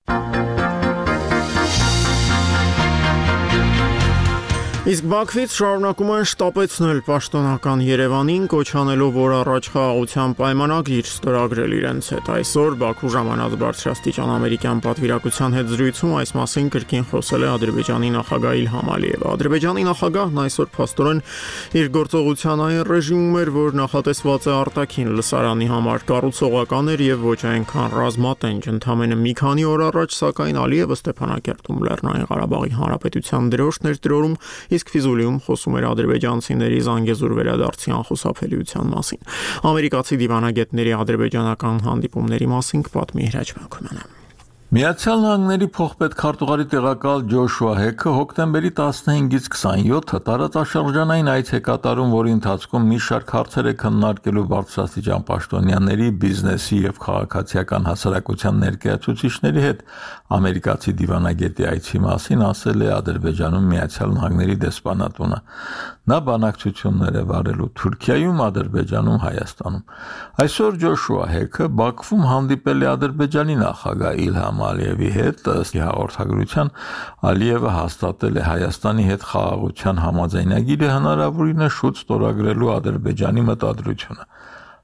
Իսկ Բաքվից շարունակում են շտապեցնել պաշտոնական Երևանին, կոչ անելով, որ առաջ խաղաղության պայմանագիր ստորագրել իրենց հետ։ Այսօր Բաքու ժամանած բարձրաստիճան ամերիկյան պատվիրակության հետ զրույցում այս մասին կրկին խոսել է Ադրբեջանի նախագահ Իլհամ Ալիևը։ Ադրբեջանի նախագահն այսօր փաստորեն իր գործողության այն ռեժիմում էր, որ նախատեսված է արտաքին լսարանի համար, կառուցողական էր եւ ոչ այնքան ռազմատենչ։ Ընդամենը մի քանի օր առաջ, սակայն Ալիևը Ստեփանակերտում Լեռնային Ղարաբաղի Հանրապետության դրոշն էր տրորում, իսկ Ֆիզուլիում խոսում էր ադրբեջանցիների Զանգեզուր վերադարձի անխուսափելիության մասին։ Ամերիկացի դիվանագետների ադրբեջանական հանդիպումների մասին կպատմի Հրաչ Մակոյանը։ Միացյալ Նահանգների փոխպետքարտուղարի տեղակալ Ջոշուա Հեքը հոկտեմբերի 15-ից 27-ը տարածաշրջանային այց է կատարում, որի ընթացքում մի շարք հարցեր է քննարկելու բարձրաստիճան պաշտոնյաների, բիզնեսի եւ քաղաքացիական հասարակության ներկայացուցիչների հետ։ Ամերիկացի դիվանագետի այցի մասին ասել է Ադրբեջանում Միացյալ Նահանգների դեսպանատունը։ Նա բանակցություններ է վարելու Թուրքիայում, Ադրբեջանում, Հայաստանում։ Այսօր Ջոշուա Հեքը Բաքվում հանդիպել է Ադրբեջանի նախագահ Իլհամ Ալիևի հետ, ըստ հաղորդագրության Ալիևը հաստատել է Հայաստանի հետ խաղաղության համաձայնագիրը հնարավորինս շուտ ստորագրելու Ադրբեջանի մտադրությունը։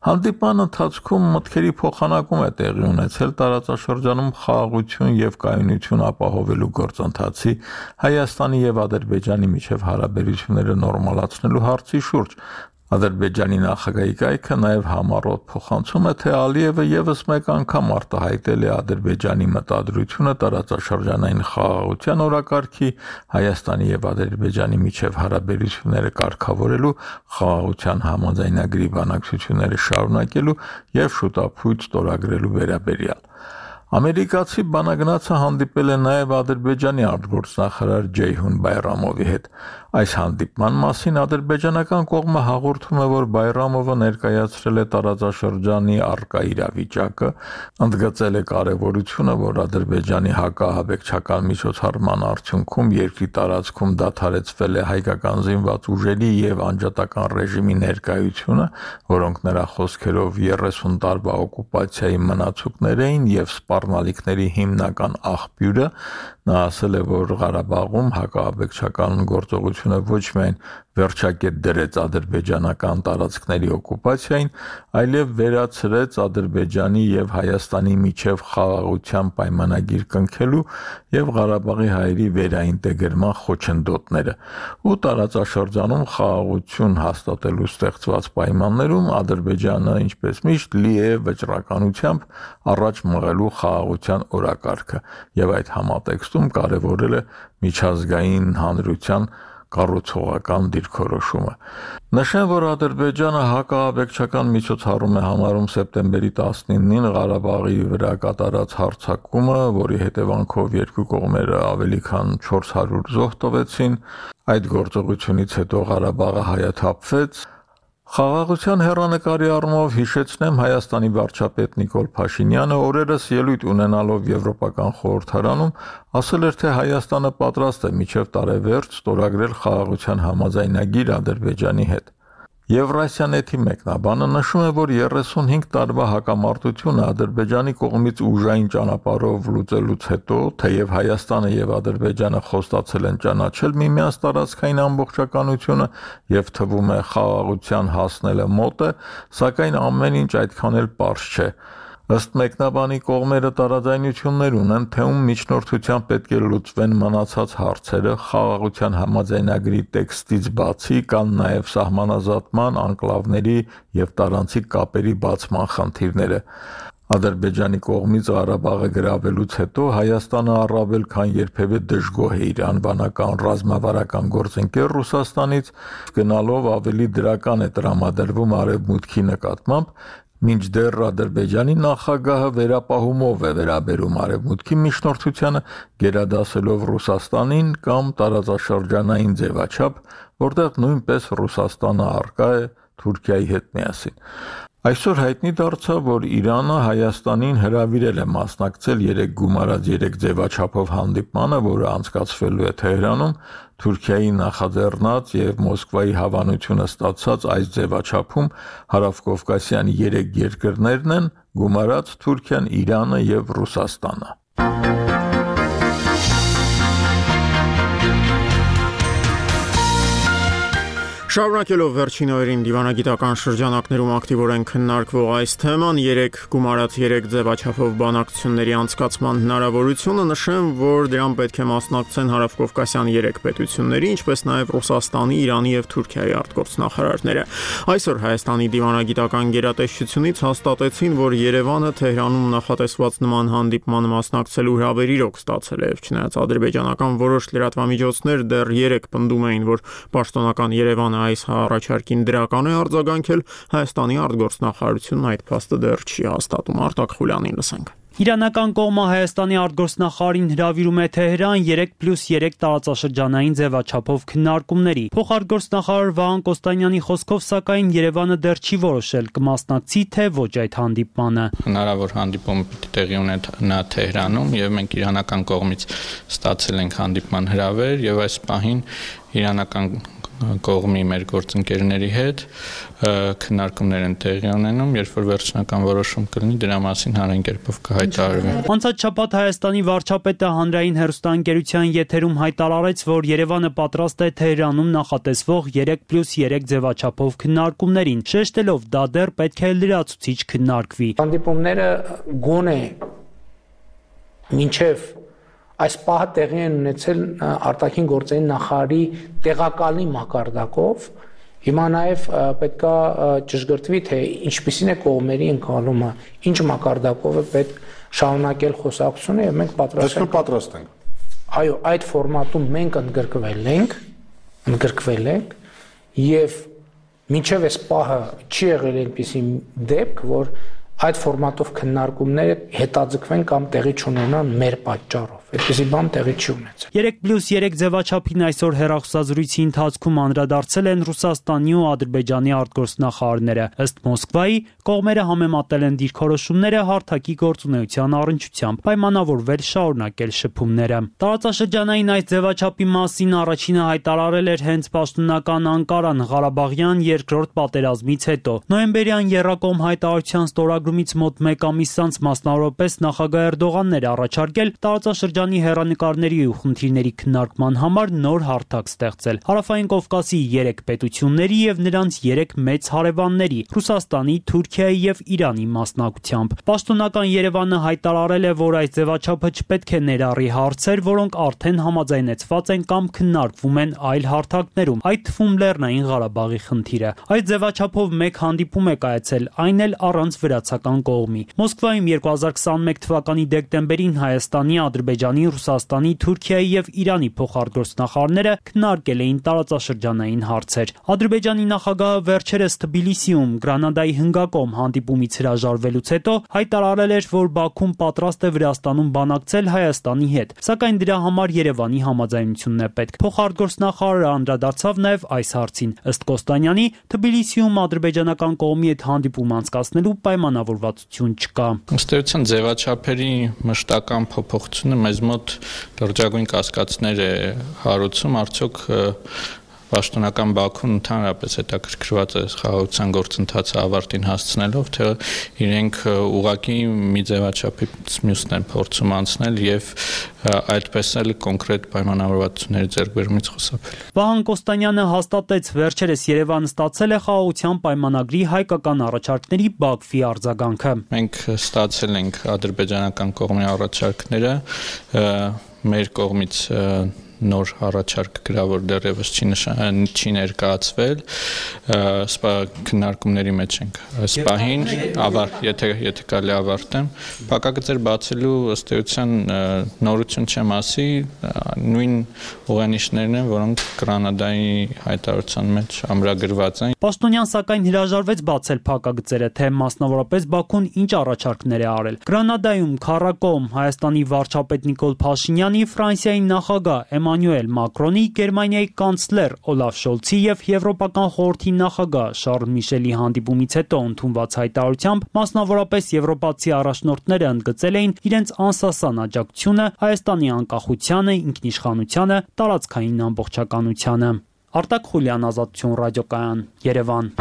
Հանդիպման ընթացքում մտքերի փոխանակում է տեղի ունեցել տարածաշրջանում խաղաղություն եւ կայունություն ապահովելու գործընթացի, Հայաստանի եւ Ադրբեջանի միջև հարաբերությունները նորմալացնելու հարցի շուրջ։ Ադրբեջանի նախագահի կայքը նաև համառոտ փոխանցում է, թե Ալիևը եւս մեկ անգամ արտահայտել է Ադրբեջանի մտադրությունը տարածաշրջանային խաղաղության օրակարգի, Հայաստանի եւ Ադրբեջանի միջև հարաբերությունները կարգավորելու, խաղաղության համաձայնագրի բանակցությունները շարունակելու եւ շուտապույտ ստորագրելու վերաբերյալ։ Ամերիկացի բանագնացը հանդիպել է նաև Ադրբեջանի արտգործնախարար Ջեյհուն Բայրամովի հետ։ Այս հանդիպման մասին ադրբեջանական կողմը հաղորդում է, որ Բայրամովը ներկայացրել է տարածաշրջանի առկա իրավիճակը, ընդգծել է կարևորությունը, որ Ադրբեջանի հակահաբեկչական միջոցառման արդյունքում երկրի տարածքում դադարեցվել է հայկական զինված ուժերի եւ անջատական ռեժիմի ներկայությունը, որոնք նրա խոսքերով 30 տարվա օկուպացիայի մնացուկներ էին եւ սպառնալիքների հիմնական աղբյուրը։ Նա ասել է, որ Ղարաբաղում հակահաբեկչական գործողությունը ոչ միայն վերջակետ դրեց ադրբեջանական տարածքների օկուպացիային, այլև վերացրեց Ադրբեջանի եւ Հայաստանի միջև խաղաղության պայմանագիր կնքելու եւ Ղարաբաղի հայերի վերաինտեգրման խոչընդոտները։ Ու տարածաշրջանում խաղաղություն հաստատելու ստեղծված պայմաններում Ադրբեջանը, ինչպես միշտ, լի է վճռականությամբ առաջ մղելու խաղաղության օրակարգը եւ այդ համատեքստում կարևորել է միջազգային հանրության կառուցողական դիրքորոշումը։ Նշեմ, որ Ադրբեջանը հակահաբեկչական միջոցառում է համարում սեպտեմբերի 19-ին Ղարաբաղի վրա կատարած հարձակումը, որի հետևանքով երկու կողմերը ավելի քան 400 զոհ տվեցին։ Այդ գործողությունից հետո Ղարաբաղը հայաթափվեց։ Խաղաղության հեռանկարի առումով հիշեցնեմ Հայաստանի վարչապետ Նիկոլ Փաշինյանը օրերս ելույթ ունենալով Եվրոպական խորհրդարանում ասել էր, թե Հայաստանը պատրաստ է մինչև տարեվերջ ստորագրել խաղաղության համաձայնագիր Ադրբեջանի հետ։ Եվրասիանեթի մեկնաբանը նշում է, որ 35 տարվա հակամարտությունը Ադրբեջանի կողմից ուժային ճանապարհով լուծելուց հետո, թեև Հայաստանը եւ Ադրբեջանը խոստացել են ճանաչել միմյանց տարածքային ամբողջականությունը եւ թվում է խաղաղության հասնելը մոտ է, սակայն ամեն ինչ այդքան էլ պարզ չէ։ Ըստ մեկնաբանի կողմերը տարաձայնություններ ունեն, թե ում միջնորդությամբ պետք է լուծվեն մնացած հարցերը, խաղաղության համաձայնագրի տեքստից բացի կան նաև սահմանազատման, անկլավների եւ տարանցիկ կապերի բացման խնդիրները։ Ադրբեջանի կողմից Ղարաբաղը գրավելուց հետո Հայաստանը առավել քան երբևէ դժգոհ է իր անվանական ռազմավարական գործընկեր Ռուսաստանից, գնալով ավելի դրական է տրամադրվում Արևմուտքի նկատմամբ, մինչդեռ Ադրբեջանի նախագահը վերապահումով է վերաբերում Արևմուտքի միջնորդությանը, գերադասելով Ռուսաստանին կամ տարածաշրջանային ձևաչափ, որտեղ նույնպես Ռուսաստանը առկա է Թուրքիայի հետ միասին։ Այսօր հայտնի դարձավ, որ Իրանը Հայաստանին հրավիրել է մասնակցել 3 գումարած 3 ձևաչափով հանդիպմանը, որը անցկացվելու է Թեհրանում, Թուրքիայի նախաձեռնած եւ Մոսկվայի հավանությունը ստացած այս ձևաչափում հարավկովկասյան 3 երկրներն են՝ գումարած Թուրքիան, Իրանը եւ Ռուսաստանը։ Շարունակելով վերջին օրերին դիվանագիտական շրջանակներում ակտիվորեն քննարկվող այս թեման, 3 գումարած 3 ձևաչափով բանակցությունների անցկացման հնարավորությունը, նշեմ, որ դրան պետք է մասնակցեն հարավկովկասյան 3 պետությունների, ինչպես նաև Ռուսաստանի, Իրանի եւ Թուրքիայի արտգործնախարարները։ Այսօր Հայաստանի դիվանագիտական գերատեսչությունից հաստատեցին, որ Երևանը Թեհրանում նախատեսված նման հանդիպմանը մասնակցելու հրավեր իրոք ստացել է, չնայած ադրբեջանական որոշ լրատվամիջոցներ դեռ 3 պնդում էին, որ պաշտոնական Երևանը այս առաջարկին դրական է արձագանքել, Հայաստանի արտգործնախարարությունն այդ փաստը դեռ չի հաստատում։ Արտակ Խուլյանին լսենք։ Իրանական կողմը Հայաստանի արտգործնախարարին հրավիրում է Թեհրան 3+3 տարածաշրջանային ձևաչափով քննարկումների։ Փոխարտգործնախարար Վահան Կոստանյանի խոսքով, սակայն Երևանը դեռ չի որոշել կմասնակցի թե ոչ այդ հանդիպմանը։ Հնարավոր հանդիպումը պիտի տեղի ունենա Թեհրանում եւ մենք իրանական կողմից ստացել ենք հանդիպման հրավեր եւ այս պահին իրանական կողմի մեր գործընկերների հետ քննարկումներ են տեղի ունենում, երբ որ վերջնական որոշում կլինի, դրա մասին հանրային կերպով կհայտարարվի։ Անցած շաբաթ Հայաստանի վարչապետը հանրային հեռուստաընկերության եթերում հայտարարեց, որ Երևանը պատրաստ է Թեհրանում նախատեսվող 3+3 ձևաչափով քննարկումներին, շեշտելով դա դեռ պետք է լրացուցիչ քննարկվի։ Հանդիպումները գոնե մինչև այս պահը տեղի են ունեցել արտաքին գործերի նախարարի տեղակալի մակարդակով, հիմա նաև պետքա ճշգրտվի, թե ինչպիսին է կողմերի ընկալումը, ինչ մակարդակով է պետք շարունակել խոսակցությունը եւ մենք պատրաստ ենք։ Այո, այդ ֆորմատում մենք ընդգրկվել ենք եւ մինչև այս պահը չի եղել այնպիսի դեպք, որ այդ ֆորմատով քննարկումները հետաձգվեն կամ տեղի չունենան մեր պատճառով։ Այդպիսի բան տեղի չի ունեցել։ 3+3 ձևաչափին այսօր հեռախոսազրույցի ընթացքում անդրադարձել են Ռուսաստանի ու Ադրբեջանի արտգործնախարարները։ Ըստ Մոսկվայի, կողմերը համեմատել են դիրքորոշումները հարթակի գործունեության առնչությամբ, պայմանավորվել շարունակել շփումները։ Տարածաշրջանային այս ձևաչափի մասին առաջինը հայտարարել էր հենց պաշտոնական Անկարան Ղարաբաղյան երկրորդ պատերազմից հետո։ Նոյեմբերյան Եռակոմ հայտարարության ստորագրումից մոտ 1 ամիս անց մասնավորապես նախագահ Էրդողանն էր առաջարկել տարածաշրջանի հեռանկարների ու խնդիրների քննարկման համար նոր հարթակ ստեղծել Հարավային Կովկասի 3 պետությունների եւ նրանց 3 մեծ հարևանների՝ Ռուսաստանի, Թուրքիայի եւ Իրանի մասնակցությամբ։ Պաշտոնական Երևանը հայտարարել է, որ այս ձևաչափը չպետք է ներառի հարցեր, որոնք արդեն համաձայնեցված են կամ քննարկվում են այլ հարթակներում, այդ թվում Լեռնային Ղարաբաղի խնդիրը։ Այս ձևաչափով մեկ հանդիպում է կայացել, այն էլ առանց վրացական կողմի։ Մոսկվայում 2021 թվականի դեկտեմբերին Հայաստանի, Ադրբեջանի, Ռուսաստանի, Թուրքիայի եւ Իրանի փոխարտգործնախարարները քննարկել էին տարածաշրջանային հարցեր։ Ադրբեջանի նախագահը վերջերս Թբիլիսիում Գրանադայի հնգակոմ հանդիպումից հրաժարվելուց հետո հայտարարել էր, որ Բաքուն պատրաստ է Վրաստանում բանակցել Հայաստանի հետ, սակայն դրա համար Երևանի համաձայնությունն է պետք։ Փոխարտգործնախարարը անդրադարձավ նաեւ այս հարցին։ Ըստ Կոստանյանի, Թբիլիսիում ադրբեջանական կողմի հետ հանդիպում անցկացնելու պայմանավորվածություն չկա։ Ըստ էության ձևաչափերի մշտական փոփոխությունը մեզ մոտ լրջագույն կասկածներ է հարուցում, արդյոք պաշտոնական Բաքուն ընդհանրապես հետաքրքրված է խաղաղության գործընթացը ավարտին հասցնելով, թե իրենք ուղղակի մի ձևաչափից մյուսն են փորձում անցնել եւ այդպես էլ կոնկրետ պայմանավորվածությունների ձեռքբերումից խուսափել։ Վահան Կոստանյանը հաստատեց, վերջերս Երևանը ստացել է խաղաղության պայմանագրի հայկական առաջարկների Բաքվի արձագանքը։ Մենք ստացել ենք ադրբեջանական կողմի առաջարկները, մեր կողմից նոր առաջարկ գրավոր դեռևս չի ներկայացվել, սպա քննարկումների մեջ ենք սպահին, եթե կարելի ավարտեմ, փակագծեր բացելու ըստ էության նորություն չեմ ասի, նույն ուղենիշներն են, որոնք Գրանադայի հայտարարության մեջ ամրագրված են։ Պաշտոնյան սակայն հրաժարվեց բացել փակագծերը, թե մասնավորապես Բաքուն ինչ առաջարկներ է արել։ Գրանադայում քառակողմ Հայաստանի վարչապետ Նիկոլ Փաշինյանի, Ֆրանսիայի նախագահ Էմանուել Մակրոնի, Գերմանիայի կանցլեր Օլաֆ Շոլցի եւ Եվրոպական խորհրդի նախագահ Շարլ Միշելի հանդիպումից հետո ընդունված հայտարարությամբ մասնավորապես եվրոպացի առաջնորդները ընդգծել էին իրենց անսասան աջակցությունը Հայաստանի անկախությանը, ինքնիշխանությանը, տարածքային ամբողջականությանը։ Արտակ Խուլյան, Ազատություն ռադիոկայան, Երևան։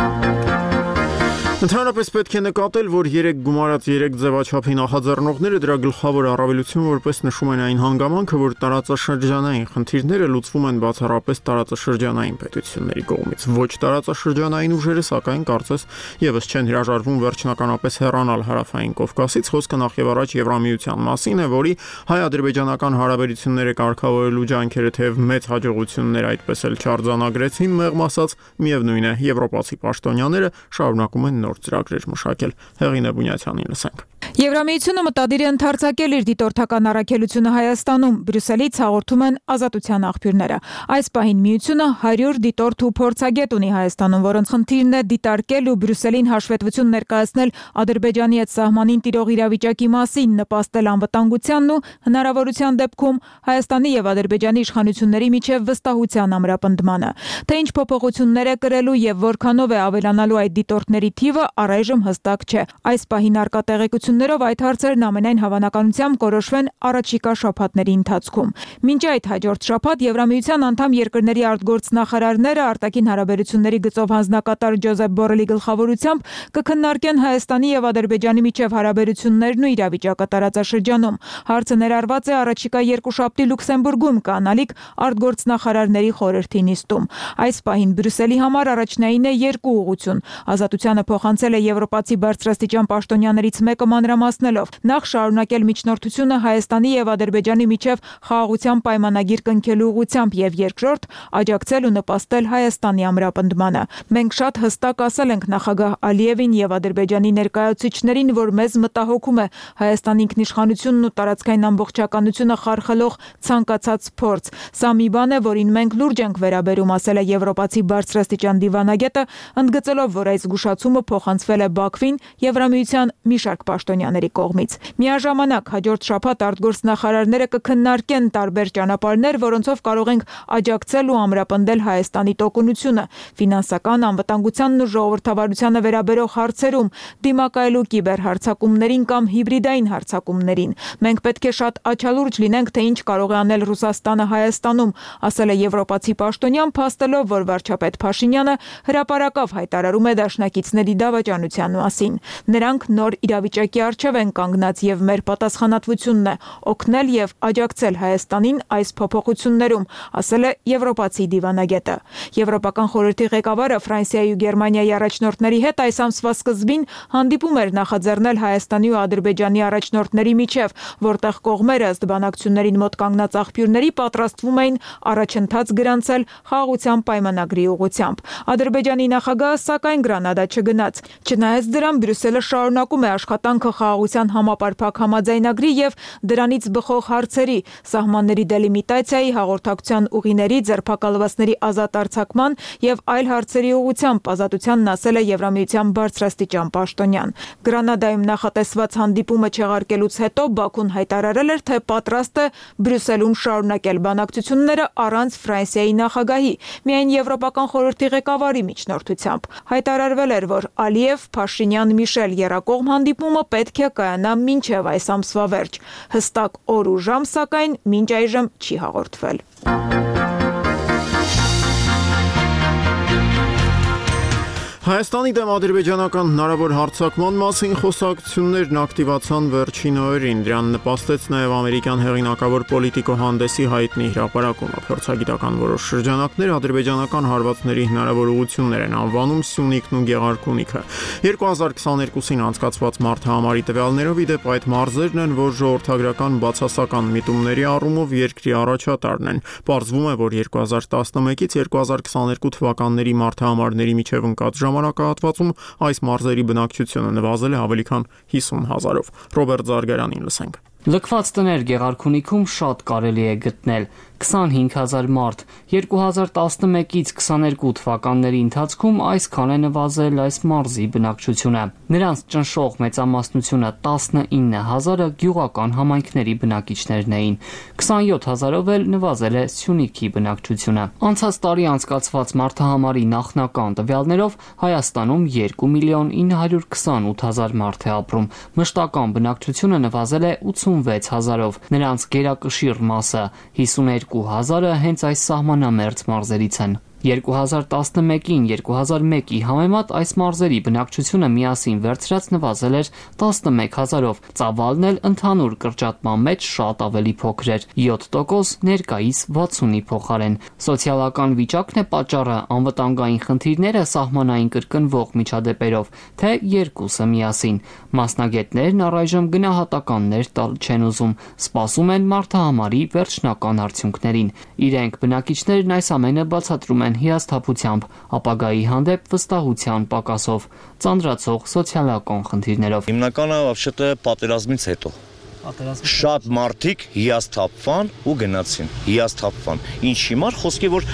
Ընդհանրապես պետք է նկատել, որ 3 գումարած 3 ձևաչափի նախաձեռնողները դրա գլխավոր առավելություն որպես նշում են այն հանգամանքը, որ տարածաշրջանային խնդիրները լուծվում են բացառապես տարածաշրջանային պետությունների կողմից։ Ոչ տարածաշրջանային ուժերը, սակայն կարծես եւս չեն հրաժարվում վերջնականապես հեռանալ Հարավային Կովկասից, խոսքը նախևառաջ Եվրամիության մասին է, որի հայ-ադրբեջանական հարաբերությունները կարգավորելու ջանքերը թեև մեծ հաջողություններ այդպես էլ չարձանագրեցին, մեղմ ասած, միևնույն է, եվրոպացի պաշտոնյաները շարունակում են նոր ծրագրեր մշակել։ Հեղինե Բունյացյանին լսենք։ Եվրամիությունը մտադիր է ընդարձակել իր դիտորդական առաքելությունը Հայաստանում, Բրյուսելից հաղորդում են Ազատության աղբյուրները։ Այս պահին միությունը 100 դիտորդ ու փորձագետ ունի Հայաստանում, որոնց խնդիրն է դիտարկել ու Բրյուսելին հաշվետվություն ներկայացնել Ադրբեջանի հետ սահմանին տիրող իրավիճակի մասին, նպաստել անվտանգությանն ու հնարավորության դեպքում Հայաստանի եւ Ադրբեջանի իշխանությունների միջև վստահության ամրապնդմանը։ Թե ինչ փոփոխություններ է կրելու եւ որքանով է ավելանալու այդ դիտորդների թիվը, առայժմ հստակ չէ։ Այս պահին արկա տեղեկություններով այդ հարցերն ամենայն հավանականությամբ կորոշվեն առաջիկա շաբաթների ընթացքում։ Մինչ այդ հաջորդ շաբաթ Եվրամիության անդամ երկրների արտգործնախարարները արտաքին հարաբերությունների գծով հանձնակատար Ջոզեփ Բորելի գլխավորությամբ կքննարկեն Հայաստանի եւ Ադրբեջանի միջև հարաբերություններն ու իրավիճակը տարածաշրջանում։ Հարցը ներառված է առաջիկա երկուշաբթի Լյուքսեմբուրգում կանալիք արտգործնախարարների խորհրդի նիստում։ Այս պահին Բրյուսելի համար առաջնային է երկու ուղղություն։ Ազատությանը փոխանցել է եվրոպացի բարձրաստիճան պաշտոնյաներից մեկը մանրամասն մանրամասնելով, նախ շարունակել միջնորդությունը Հայաստանի եւ Ադրբեջանի միջև խաղաղության պայմանագիր կնքելու ուղղությամբ եւ երկրորդ աջակցել ու նպաստել Հայաստանի ամրապնդմանը։ Մենք շատ հստակ ասել ենք նախագահ Ալիևին եւ Ադրբեջանի ներկայացուցիչներին, որ մեզ մտահոգում է Հայաստանի ինքնիշխանությունն ու տարածքային ամբողջականությունը խարխլող ցանկացած փորձ։ Սա մի բան է, որին մենք լուրջ ենք վերաբերում, ասել է եվրոպացի բարձրաստիճան դիվանագետը, ընդգծելով, որ այս զգուշացումը փոխանցվել է Բաքվին Եվրամիության մի շարք պաշտոնյաների կողմից։ Միաժամանակ հաջորդ շաբաթ արտգործնախարարները կքննարկեն տարբեր ճանապարհներ, որոնցով կարող ենք աջակցել ու ամրապնդել Հայաստանի տոկունությունը ֆինանսական, անվտանգությանն ու ժողովրդավարությանը վերաբերող հարցերում, դիմակայելու կիբերհարձակումներին կամ հիբրիդային հարձակումներին։ Մենք պետք է շատ աչալուրջ լինենք, թե ինչ կարող է անել Ռուսաստանը Հայաստանում, ասել է եվրոպացի պաշտոնյան, փաստելով, որ վարչապետ Փաշինյանը հրապարակավ հայտարարում է դաշնակիցների դավաճանության մասին։ Նրանք նոր իրավիճակի առջև են կանգնած եւ մեր պատասխանատվությունն է օգնել եւ աջակցել Հայաստանին այս փոփոխություններում, ասել է եվրոպացի դիվանագետը։ Եվրոպական խորհրդի ղեկավարը Ֆրանսիայի ու Գերմանիայի առաջնորդների հետ այս ամսվա սկզբին հանդիպում էր նախաձեռնել Հայաստանի ու Ադրբեջանի առաջնորդների միջև, որտեղ կողմերը ըստ բանակցություններին մոտ կանգնած աղբյուրների պատրաստվում էին առաջընթաց գրանցել խաղաղության պայմանագրի ուղղությամբ։ Ադրբեջանի նախագահը սակայն Գրանադա չգնաց։ Չնայած դրան, Բրյուսելը շարունակում է աշխատանքը խաղաղության համապարփակ համաձայնագրի եւ դրանից բխող հարցերի, սահմանների դելիմիտացիայի, հաղորդակցության ուղիների, ձերբակալվածների ազատ արձակման եւ այլ հարցերի ուղղությամբ, ազատությանն ասել է Եվրամիության բարձրաստիճան պաշտոնյան։ Գրանադայում նախատեսված հանդիպումը չեղարկելուց հետո Բաքուն հայտարարել էր, թե պատրաստ է Բրյուսելում շարունակել բանակցությունները առանց Ֆրանսիայի նախագահի, միայն Եվրոպական խորհրդի ղեկավարի միջնորդությամբ։ Հայտարարվել էր, որ Ալիև, Փաշինյան, Միշել եռակողմ հանդիպումը պետք է կայանա մինչև այս ամսվա վերջ։ Հստակ օր ու ժամ, սակայն մինչ այժմ չի հաղորդվել։ Հայաստանի դեմ ադրբեջանական հնարավոր հարձակման մասին խոսակցություններն ակտիվացան վերջին օրերին, դրան նպաստեց նաև ամերիկյան հեղինակավոր պոլիտիկոհանդեսի հայտնի հրապարակումը։ Փորձագիտական որոշ շրջանակներ ադրբեջանական հարվածների հնարավոր ուղղություններ են անվանում Սյունիքն ու Գեղարքունիքը։ 2022-ին անցկացված մարտահամարի տվյալներով, ի դեպ, այդ մարզերն են, որ ժողովրդագրական բացասական միտումների առումով երկրի առաջատարն են։ Պարզվում է, որ 2011-ից 2022 թվականների մարտահամարների միջև ընկած ժամանակահատվածում այս մարզերի բնակչությունը նվազել է ավելի քան 50,000-ով։ Ռոբերտ Զարգարանին լսենք։ Լքված տներ Գեղարքունիքում շատ կարելի է գտնել 25,000 մարդ։ 2011-ից 22 թվականների ընթացքում այսքան է նվազել այս մարզի բնակչությունը։ Նրանց ճնշող մեծամասնությունը 19,000-ը գյուղական համայնքների բնակիչներն էին։ 27,000-ով էլ նվազել է Սյունիքի բնակչությունը։ Անցած տարի անցկացված մարտահամարի նախնական տվյալներով Հայաստանում 2,928,000 մարդ է ապրում։ Մշտական բնակչությունը նվազել է 86,000-ով։ Նրանց գերակշիռ մասը 52,000-ը հենց այս սահմանամերձ մարզերից են։ 2011-ին 2001-ի համեմատ այս մարզերի բնակչությունը միասին վերցրած նվազել էր 11,000-ով, ծավալն էլ ընդհանուր կրճատման մեջ շատ ավելի փոքր էր՝ 7% ներկայիս 60-ի փոխարեն։ Սոցիալական վիճակն է պատճառը, անվտանգային խնդիրները, սահմանային կրկնվող միջադեպերով, թե երկուսը միասին։ Մասնագետներն առայժմ գնահատականներ տալ չեն ուզում, սպասում են մարտահամարի վերջնական արդյունքներին։ Իրենք բնակիչներն այս ամենը բացատրում են հիասթափությամբ, ապագայի հանդեպ վստահության պակասով, ծանրացող սոցիալական խնդիրներով։ Հիմնականը вообще-то պատերազմից հետո շատ մարդիկ հիասթափվան ու գնացին, հիասթափվան։ Ինչ հիմար խոսքի, որ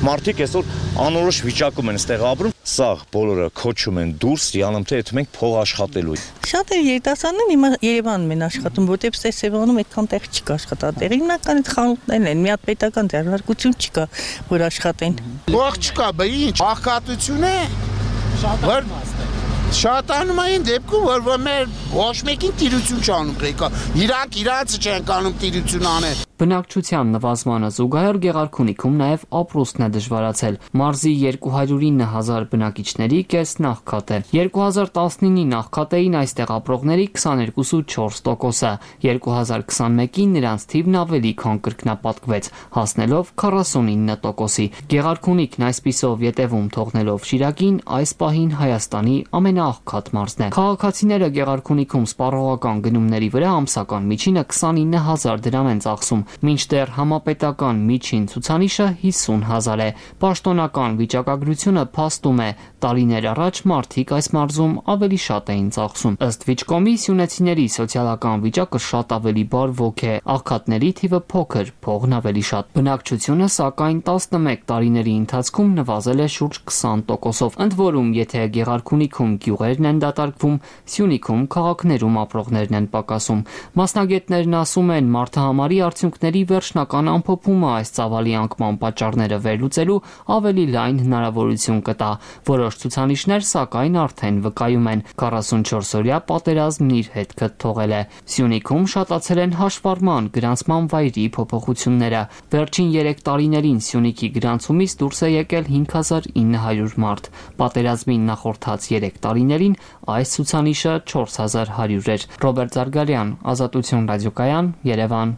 մարդիկ այսօր անորոշ վիճակում են ստեղ ապրում, սա բոլորը քոչում են դուրս, յանում թե մենք փող աշխատելու։ Շատ է երիտասարդներն հիմա Երևանում են աշխատում, որտեղ Սևանում այդքան տեղ չկա աշխատատեղ։ Հիմնական այդ խանութներն են, մի հատ պետական ձեռնարկություն չկա, որ աշխատեն։ Փող չկա, բա ինչ, աղքատություն է։ Շատանում այն դեպքում, որ մեր ոչ մեկին տիրություն չանում ղեկա, իրանք իրանցը չեն կանում տիրություն անել։ Բնակչության նվազմանը զուգահեռ Գեղարքունիքում նաև ապրուստն է դժվարացել։ Մարզի 209,000 բնակիչների կեսն աղքատ է։ 2019-ի նախքատեին այստեղ ապրողների 22,4%-ը, 2021-ին նրանց թիվն ավելի քան կրկնապատկվեց, հասնելով 49%-ի։ Գեղարքունիքն այսպիսով ետևում թողնելով Շիրակին, այս պահին Հայաստանի ամենաաղքատ մարզն է։ Քաղաքացիները Գեղարքունիքում սպառողական գնումների վրա ամսական միջինը 29000 դրամ են ծախսում, մինչդեռ համապետական միջին ցուցանիշը 50000 է։ Պաշտոնական վիճակագրությունը փաստում է, տարիներ առաջ մարդիկ այս մարզում ավելի շատ էին ծախսում։ Ըստ Վիճկոմի, սյունեցիների սոցիալական վիճակը շատ ավելի բարվոք է, աղքատների թիվը փոքր, փողն ավելի շատ։ Բնակչությունը սակայն 11 տարիների ընթացքում նվազել է շուրջ 20%-ով։ Ընդ որում, եթե Գեղարքունիքում գյուղերն են դատարկվում, Սյունիքում քաղաքներում ապրողներն են պակասում։ Մասնագետներն ասում են, մարդահամարի արդյունքների վերջնական ամփոփումը այս ծավալի անկման պատճառները վերլուծելու ավելի լայն հնարավորություն կտա։ Որոշ ցուցանիշներ սակայն արդեն վկայում են 44-օրյա պատերազմն իր հետքը թողել է։ Սյունիքում շատացել են հաշվառման գրանցման վայրի փոփոխությունները։ Վերջին 3 տարիներին Սյունիքի գրանցումից դուրս է եկել 5900 մարդ։ Պատերազմին նախորդած 3 տարիներին այս ցուցանիշը 4100 էր։ Ռոբերտ Զարգարյան, Ազատություն ռադիոկայան, Երևան։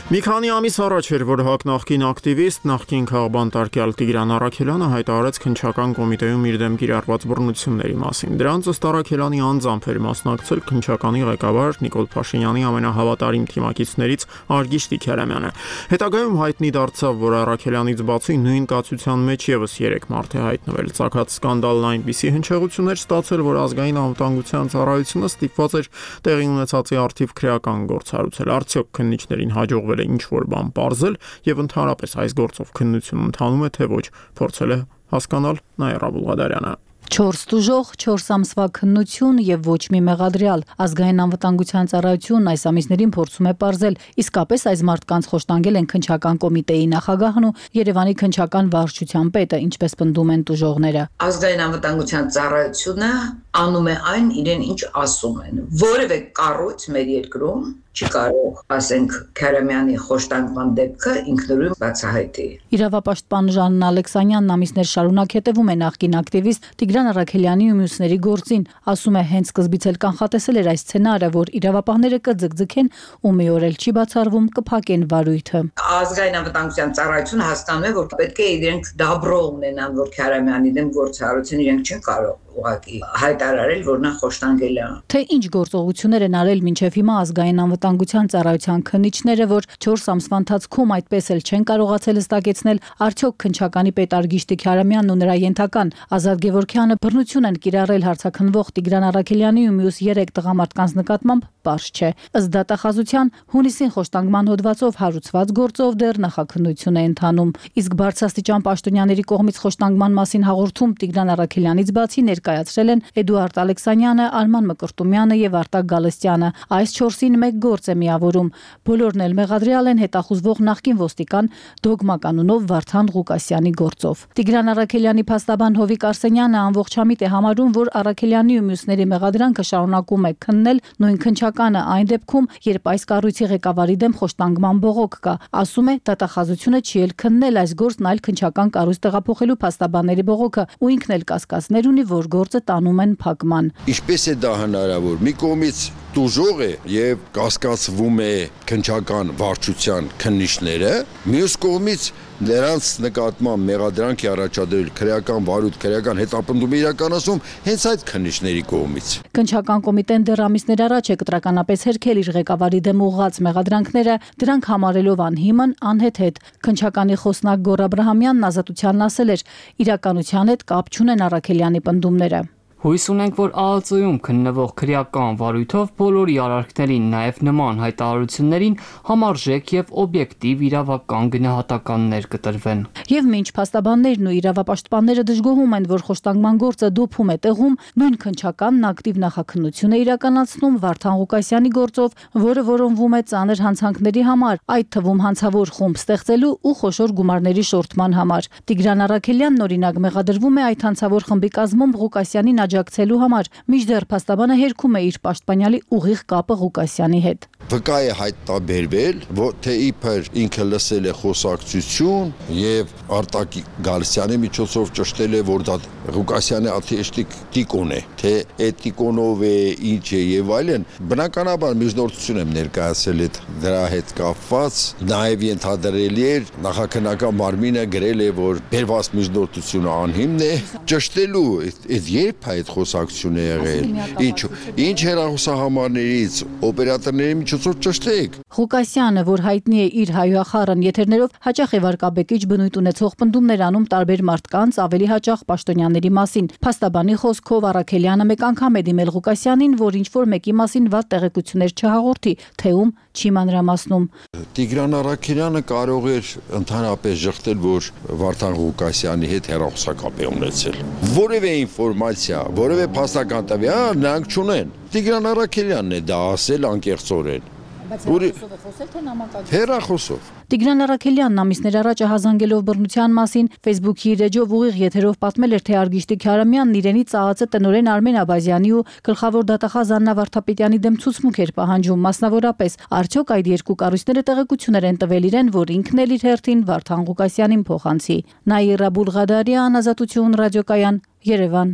Մի քանի ամիս առաջ էր, որ ՀԱԿ նախկին ակտիվիստ, նախկին քաղբանտարկյալ Տիգրան Առաքելյանը հայտարարեց քննչական կոմիտեում իր դեմ կիրառված բռնությունների մասին։ Դրանց ըստ Առաքելյանի անձամբ էր մասնակցել քննչականի ղեկավար Նիկոլ Փաշինյանի ամենահավատարիմ թիմակիցներից Արգիշտի Քերամյանը։ Հետագայում հայտնի դարձավ, որ Առաքելյանից բացի նույն կացության մեջ եւս 3 մարդ է հայտնվել։ Ցակած սկանդալն այնպիսի հնչեղություններ ստացել, որ ազգային անվտանգության ծառայությունը ստիպված էր տեղի ունեցածի առթիվ քրեական գործ հարուցել։ Արդյոք քննիչներին հաջողվել է ինչ-որ բան պարզել եւ ընդհանրապես այս գործով քննություն ընթանում է թե ոչ, փորձել է հասկանալ Նաիրա Բուլղադարյանը։ 4 տուժող, 4 ամսվա քննություն եւ ոչ մի մեղադրյալ։ Ազգային անվտանգության ծառայությունն այս ամիսներին փորձում է պարզել, իսկապես այս մարդկանց խոշտանգել են քննչական կոմիտեի նախագահն ու Երևանի քննչական վարչության պետը, ինչպես պնդում են տուժողները։ Ազգային անվտանգության ծառայությունը անում է այն իրեն ինչ ասում են։ Որևէ կառույց մեր երկրում չի կարող, ասենք, Քարամյանի խոշտանգման դեպքը ինքնուրույն բացահայտի։ Իրավապաշտպան Ժաննա Ալեքսանյանն ամիսներ շարունակ հետևում է նախկին ակտիվիստ Տիգրան Առաքելյանի ու մյուսների գործին, ասում է, հենց սկզբից էլ կանխատեսել էր այս սցենարը, որ իրավապահները կձգձգեն ու մի օր էլ չի բացառվում կփակեն վարույթը։ Ազգային անվտանգության ծառայությունը հասկանում է, որ պետք է իրենք դաբրո ունենան, որ Քարամյանի դեմ գործառույթին իրենք չեն կարող ուղղակի հայտարարել, որ նա խոշտանգել է։ Թե ինչ գործողություններ են արել մինչև հիմա ազգային անվտանգության ծառայության քննիչները, որ 4 ամսվա ընթացքում այդպես էլ չեն կարողացել հստակեցնել, արդյոք քննչականի պետ Արգիշտի Քարամյանն ու նրա ենթական Ազատ Գևորգյանը բռնություն են կիրառել հարցաքննվող Տիգրան Առաքելյանի ու մյուս 3 տղամարդկանց նկատմամբ, պարզ չէ։ Ըստ դատախազության, հունիսին խոշտանգման հոդվածով հարուցված գործով դեռ նախաքննություն է ընթանում։ Իսկ բարձրաստիճան պաշտոնյաների կողմից խոշտանգման մասին հաղորդում Տիգրան Առաքելյանից բացի ներկայացրել են Էդուարդ Ալեքսանյանը, Արման Մկրտումյանը եւ Արտակ Գալստյանը։ Այս 4-ին մեկ գործ է միավորում։ Բոլորն էլ մեղադրյալ են հետախուզվող նախկին ոստիկան Դոգմա կանոնով Վարդան Ղուկասյանի գործով։ Տիգրան Առաքելյանի փաստաբան Հովիկ Արսենյանը ամբողջամիտ է համարում, որ Առաքելյանի ու մյուսների մեղադրանքը շարունակում է քննել նույն քննչականը այն դեպքում, երբ այս կառույցի ղեկավարի դեմ խոշտանգման բողոք կա։ Ասում է, դատախազությունը չի էլ քննել այս գործն, այլ քննչական կառույց տեղափոխելու փաստաբանների բողոքը ու ինքն էլ կասկածներ ունի, որ գործը տանում են փակման։ Ինչպես է դա հնարավոր։ Մի կողմից տուժող է եւ կասկածվում է քննչական վարչության քննիչները, մյուս կողմից նրանց նկատմամբ մեղադրանք է առաջադրել քրեական վարույթ, քրեական հետապնդում իրականացում հենց այդ քննիչների կողմից։ Քննչական կոմիտեն դեռ ամիսներ առաջ է կտրականապես հերքել իր ղեկավարի դեմ ուղղված մեղադրանքները, դրանք համարելով անհիմն, անհեթեթ։ Քննչականի խոսնակ Գոռ Աբրահամյանն Ազատությանն ասել էր, իրականության հետ կապ չունեն Առաքելյանի պնդումները։ Հույս ունենք, որ ԱԱԾ-ում քննվող քրեական վարույթով բոլորի արարքներին, նաև նման հայտարարություններին համարժեք եւ օբյեկտիվ իրավական գնահատականներ կտրվեն։ Եվ մինչ փաստաբաններն ու իրավապաշտպանները դժգոհում են, որ խոշտանգման գործը դոփում է տեղում, նույն քննչականն ակտիվ նախաքննություն է իրականացնում Վարդան Ղուկասյանի գործով, որը որոնվում է ծանր հանցանքների համար, այդ թվում հանցավոր խումբ ստեղծելու ու խոշոր գումարների շորթման համար։ Տիգրան Առաքելյանն օրինակ մեղադրվում է այդ հանցավոր խմբի կազմում Ղուկասյանին աջակցելու համար, մինչդեռ փաստաբանը հերքում է իր պաշտպանյալի ուղիղ կապը Ղուկասյանի հետ։ Վկա է հայտնաբերվել, թե իբր ինքը լսել է խոսակցություն եւ Արտակ Գալստյանի միջոցով ճշտել է, որ դա Ղուկասյանի աթեշտիկ տիկոն է, թե այդ տիկոնով է, ինչ է եւ այլն։ Բնականաբար միջնորդություն եմ ներկայացել դրա հետ կապված, նաեւ ենթադրելի էր նախաքննական մարմինը գրել է, որ բերված միջնորդությունը անհիմն է, ճշտելու այդ երբ այդ խոսակցությունը եղել, ինչ հեռախոսահամարներից օպերատորների միջոցով ճշտեք։ Ղուկասյանը, որ հայտնի է իր հայոյախառն եթերներով, հաճախ է վարկաբեկիչ բնույթ ունեցող պնդումներ անում տարբեր մարդկանց, ավելի հաճախ պաշտոնյաների մասին։ Փաստաբանի խոսքով Առաքելյանը մեկ անգամ է դիմել Ղուկասյանին, որ ինչ-որ մեկի մասին վատ տեղեկություններ չհաղորդի, թե ում չի մանրամասնում։ Տիգրան Առաքելյանը կարող էր ընդհանրապես ժխտել, որ Վարդան Ղուկասյանի հետ հեռախոսակապ է ունեցել։ Որևէ ինֆորմացիա, որևէ փաստական տվյալ նրանք չունեն։ Տիգրան Առաքելյանն է դա ասել անկեղծորեն։ Հեռախոսով։ Տիգրան Առաքելյանն ամիսներ առաջ ահազանգելով բռնության մասին Facebook-ի իր էջով ուղիղ եթերով պատմել էր, թե Արգիշտի Քարամյանն իրենի ծաղացը տնօրեն Արմեն Աբազյանի ու գլխավոր դատախազ Աննա Վարդապետյանի դեմ ցուցմուկ էր պահանջում, մասնավորապես արդյոք այդ երկու կառույցները տեղեկություններ են տվել իրեն, որ ինքն էլ իր հերթին Վարդան Ղուկասյանին փոխանցի։ Նաիրա Բուլղադարյան, Ազատություն ռադիոկայան, Երևան։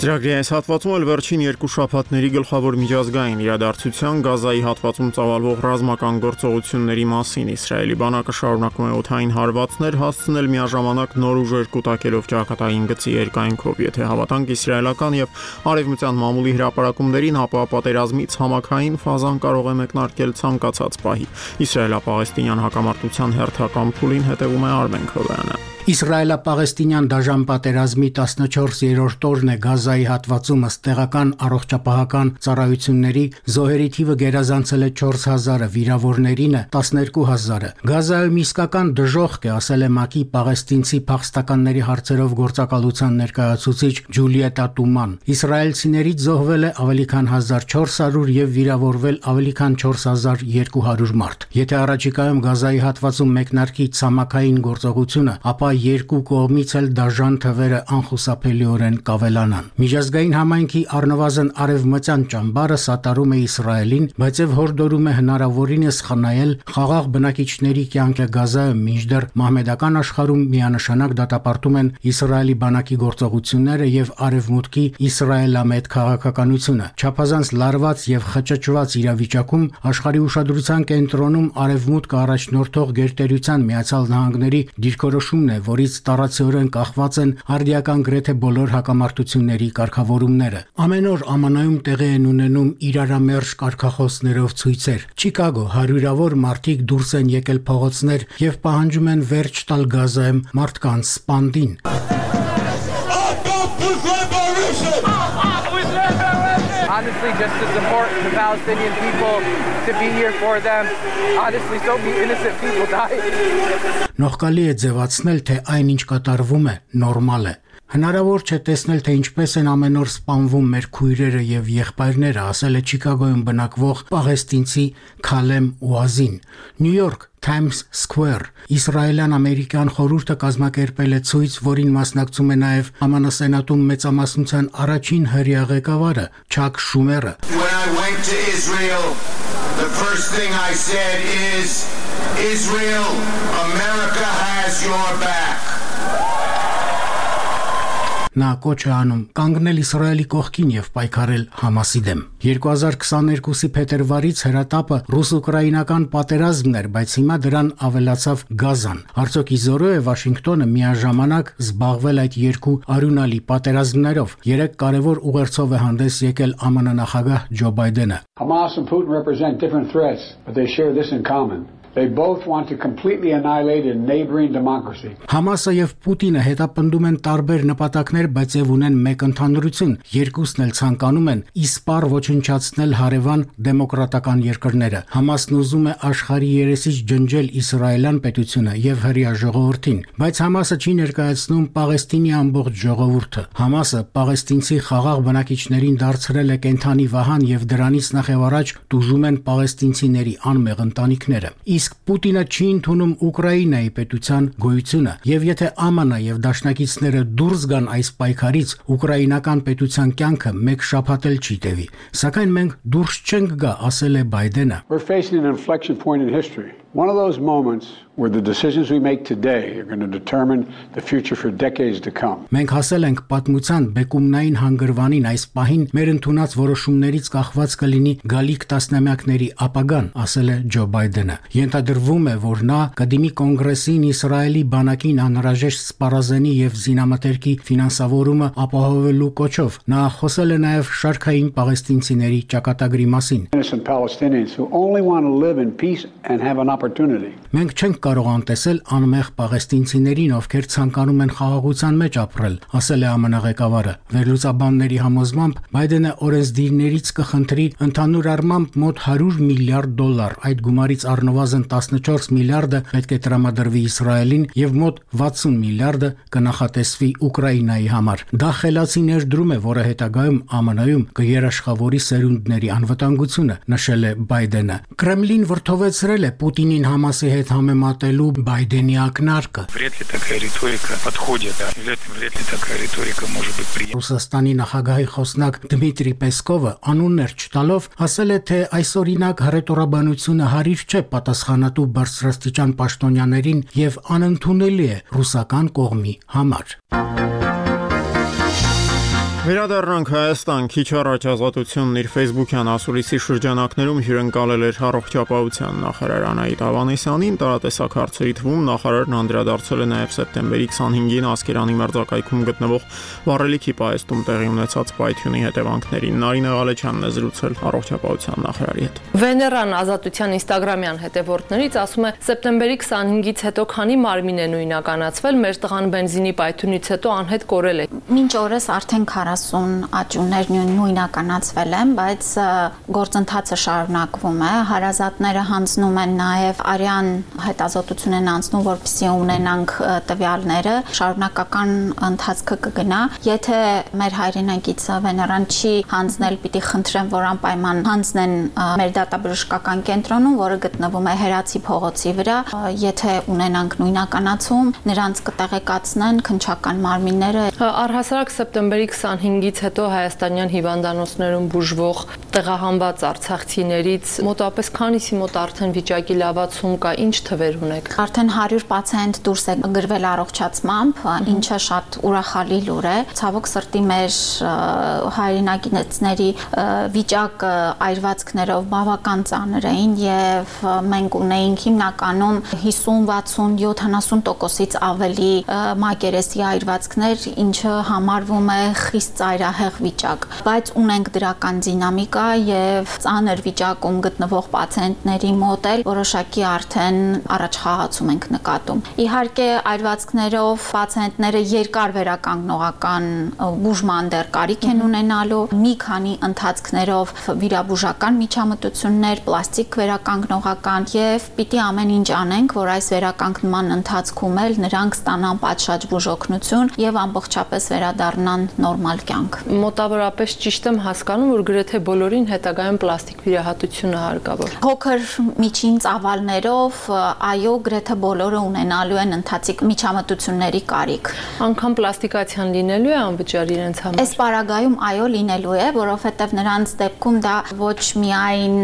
Ծրագրի այս հատվածում էլ վերջին երկու շաբաթների գլխավոր միջազգային իրադարձության Գազայի հատվածում ծավալվող ռազմական գործողությունների մասին Իսրայելի բանակը շարունակում է օդային հարվածներ հասցնել միաժամանակ նոր ուժեր կուտակելով ճակատային գծի երկայնքով, եթե հավատանք իսրայելական եւ արևմտյան մամուլի հրապարակումներին, ապա պատերազմից համակային ֆազան կարող է մեկնարկել ցանկացած պահի։ Իսրայելա-պաղեստինյան հակամարտության հերթական փուլին հետևում է Արմեն Քովյանը։ Իսրայելա-պաղեստինյան դաժան պատերազմի 14-րդ օրն է Գազայի հատվածում ըստ տեղական առողջապահական ծառայությունների զոհերի թիվը գերազանցել է 4000-ը, վիրավորներինը 12000-ը։ Գազայում իսկական դժոխք է, ասել է ՄԱԿ-ի պաղեստինցի փախստականների հարցերով գործակալության ներկայացուցիչ Ջուլիետա Տուման։ Իսրայելցիներից զոհվել է ավելի քան 1400 եւ վիրավորվել ավելի քան 4200 մարդ։ Եթե առաջիկայում Գազայի հատվածում մեկնարկի ցամաքային գործողությունը, ապա երկու կողմից էլ դաժան թվերը անխուսափելիորեն կավելանան։ Միջազգային համայնքի առնվազն արևմտյան ճամբարը սատարում է Իսրայելին, բայց եւ հորդորում է հնարավորինս խնայել խաղաղ բնակիչների կյանքը Գազայում, մինչդեռ մահմեդական աշխարհում միանշանակ դատապարտում են Իսրայելի բանակի գործողությունները եւ արևմուտքի իսրայելամետ քաղաքականությունը։ Չափազանց լարված եւ խճճված իրավիճակում աշխարհի ուշադրության կենտրոնում արևմուտքը առաջնորդող գերտերության Միացյալ Նահանգների դիրքորոշումն է, որից տարածիորեն կախված են արդիական գրեթե բոլոր հակամարտությունների կարգավորումները։ Ամեն օր ԱՄՆ-ում տեղի են ունենում իրարամերժ կարգախոսներով ցույցեր։ Չիկագո հարյուրավոր մարդիկ դուրս են եկել փողոցներ եւ պահանջում են վերջ տալ Գազայում մարդկանց սպանդին։ Honestly, just to support the Palestinian people, to be here for them. Honestly, so many innocent people died. Նողկալի է ձևացնել, թե այն ինչ կատարվում է, նորմալ է։ Հնարավոր չէ տեսնել, թե ինչպես են ամեն օր սպանվում մեր քույրերը եւ եղբայրները, ասել է Չիկագոյում բնակվող պաղեստինցի Քալեմ Ուազին։ Նյու Յորք Times Square Իսրայելյան-ամերիկյան խորհուրդը կազմակերպել է ցույց, որին մասնակցում է նաև ԱՄՆ Սենատում մեծամասնության առաջին հրյա ղեկավարը Չակ Շումերը։ When I went to Israel, the first thing I said is Israel, America has your back. Նա կոչ է անում կանգնել Իսրայելի կողքին եւ պայքարել Համասի դեմ։ 2022-ի փետրվարից հրատապը ռուս-ուկրաինական պատերազմն էր, բայց հիմա դրան ավելացավ Գազան։ Արդյոք իզորո է Վաշինգտոնը միաժամանակ զբաղվել այդ երկու արյունալի պատերազմներով։ 3 կարևոր ուղերձով է հանդես եկել ԱՄՆ նախագահ Ջո Բայդենը։ Hamas and Putin represent different threats, but they share this in common. They both want to completely annihilate a neighboring democracy. Համասը եւ Պուտինը հետապնդում են տարբեր նպատակներ, բայց եւ ունեն մեկ ընդհանրություն։ Երկուսն էլ ցանկանում են իսպառ ոչնչացնել հարևան դեմոկրատական երկրները։ Համասն ուզում է աշխարհի երեսից ջնջել իսրայելյան պետությունը եւ հրյա ժողովրդին, բայց Համասը չի ներկայացնում Պաղեստինի ամբողջ ժողովուրդը։ Համասը պաղեստինցի խաղաղ բնակիչներին դարձրել է կենթանի վահան եւ դրանից նախ եւ առաջ տուժում են պաղեստինցիների անմեղ ընտանիքները։ Իսկ Պուտինը չի ընդունում Ուկրաինայի պետության գոյությունը, եւ եթե ԱՄՆ եւ դաշնակիցները դուրս գան այս պայքարից, ուկրաինական պետության կյանքը մեկ շաբաթ էլ չի տևի։ Սակայն մենք դուրս չենք գա, ասել է Բայդենը։ We're facing an inflection point in history. One of those moments where the decisions we make today are going to determine the future for decades to come. Մենք հասել ենք պատմության բեկումնային հանգրվանին այս պահին մեր ընդունած որոշումներից կախված կլինի գալիք տասնամյակների ապագան, ասել է Ջո Բայդենը։ Ենթադրվում է, որ նա կդիմի կոնգրեսին Իսրայելի բանակին անհրաժեշտ սպառազենի եւ զինամթերքի ֆինանսավորումը ապահովելու կոչով։ Նա խոսել է նաեւ շարքային պաղեստինցիների ճակատագրի մասին։ Innocent Palestinians who only want to live in peace and have an opportunity. Մենք չենք կարող անտեսել անմեղ պաղեստինցիներին, ովքեր ցանկանում են խաղաղության մեջ ապրել, ասել է ԱՄՆ ղեկավարը։ Վերլուծաբանների համոզմամբ Բայդենը օրենսդիրներից կխնդրի ընդհանուր առմամբ մոտ $100 միլիարդ, այդ գումարից առնվազն 14 միլիարդը պետք է տրամադրվի Իսրայելին եւ մոտ 60 միլիարդը կնախատեսվի Ուկրաինայի համար։ Դա խելացի ներդրում է, որը հետագայում ԱՄՆ-ում կերաշխավորի սերունդների անվտանգությունը, նշել է Բայդենը։ Կրեմլին վրթովեցրել է Պուտինին Համասի հետ համեմատելու Բայդենի ակնարկը։ Ռուսաստանի նախագահի խոսնակ Դմիտրի Պեսկովը անուններ չտալով ասել է, թե այսօրինակ հռետորաբանությունը հարիր չէ պատասխանատու բարձրաստիճան պաշտոնյաներին եւ անընդունելի է ռուսական կողմի համար։ Վերադառնանք Հայաստան, քիչ առաջ Ազատությունն իր Facebook-յան ասուլիսի շրջանակներում հյուրընկալել էր առողջապահության նախարար Անահիտ Ավանեսյանին, տարատեսակ հարցերի թվում նախարարն անդրադարձել է նաև սեպտեմբերի 25-ին Ասկերանի մերձակայքում գտնվող վառելիքի պահեստում տեղի ունեցած պայթյունի հետևանքներին։ Նարինե Ղալեչյանն է զրուցել առողջապահության նախարարի հետ։ Վեներան Ազատության Instagram-յան հետևորդներից ասում է, սեպտեմբերի 25-ից հետո քանի մարմին է նույնականացվել, մեր տղան բենզինի պայթյունից հետո անհետ կորել է։ Մինչ օրս արդեն 40 աճուներ նույնականացվել են, բայց գործընթացը շարունակվում է։ Հարազատները հանձնում են նաև արյան հետազոտություն են անցնում, որպեսզի ունենանք տվյալները, շարունակական ընթացքը կգնա։ Եթե մեր հայրենակիցը Վեներան չի հանձնել, պիտի խնդրեմ, որ անպայման հանձնեն մեր դատաբժշկական կենտրոնում, որը գտնվում է Հերացի փողոցի վրա։ Եթե ունենանք նույնականացում, նրանց կտեղեկացնեն քննչական մարմինները։ Առհասարակ սեպտեմբերի 25-ից հետո հայաստանյան հիվանդանոցներում բուժվող տեղահանված արցախցիներից մոտապես քանիսի մոտ արդեն վիճակի լավացում կա, ինչ թվեր ունեք։ Արդեն 100 պացիենտ դուրս է գրվել առողջացմամբ, ինչը շատ ուրախալի լուր է։ Ցավոք սրտի մեր հայրենակիցների վիճակը այրվածքներով բավական ծանր էին եւ մենք ունեինք հիմնականում 50-60-70%-ից ավելի մակերեսի այրվածքներ, ինչը համարվում է խիստ ծայրահեղ վիճակ, բայց ունենք դրական դինամիկա եւ ծանր վիճակում գտնվող պացիենտների մոտ էլ որոշակի արդեն առաջխաղացում ենք նկատում։ Իհարկե այրվածքներով պացիենտները երկար վերականգնողական բուժման դեռ կարիք են ունենալու, մի քանի ընթացքներով վիրաբուժական միջամտություններ, պլաստիկ վերականգնողական եւ պիտի ամեն ինչ անենք, որ այս վերականգնման ընթացքում էլ նրանք ստանան պատշաճ բուժօգնություն եւ ամբողջապես վերադառնան նորմալ կյանք։ Մոտավորապես ճիշտ եմ հասկանում, որ գրեթե բոլորին հետագայում պլաստիկ վիրահատություն է հարկավոր։ Փոքր միջին ծավալներով, այո, գրեթե բոլորը ունենալու են ընթացիկ միջամտությունների կարիք։ Անկամ պլաստիկացիան լինելու է անվճար իրենց համար։ Այս պարագայում այո լինելու է, որովհետև նրանց դեպքում դա ոչ միայն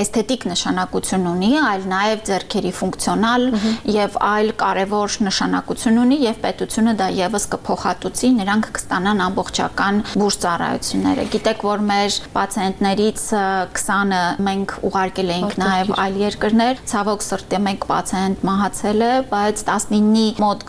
էսթետիկ նշանակություն ունի, այլ նաև ձեռքերի ֆունկցիոնալ եւ այլ կարևոր նշանակություն ունի եւ պետությունը դա եւս կփոխհատուցի, նրանք կստանան ամբողջական բուժ ծառայությունները։ Գիտեք, որ մեր պացիենտներից 20-ը մենք ուղարկել էինք նաև այլ երկրներ, ցավոք սրտի մեկ պացիենտ մահացել է, բայց 19-ի մոտ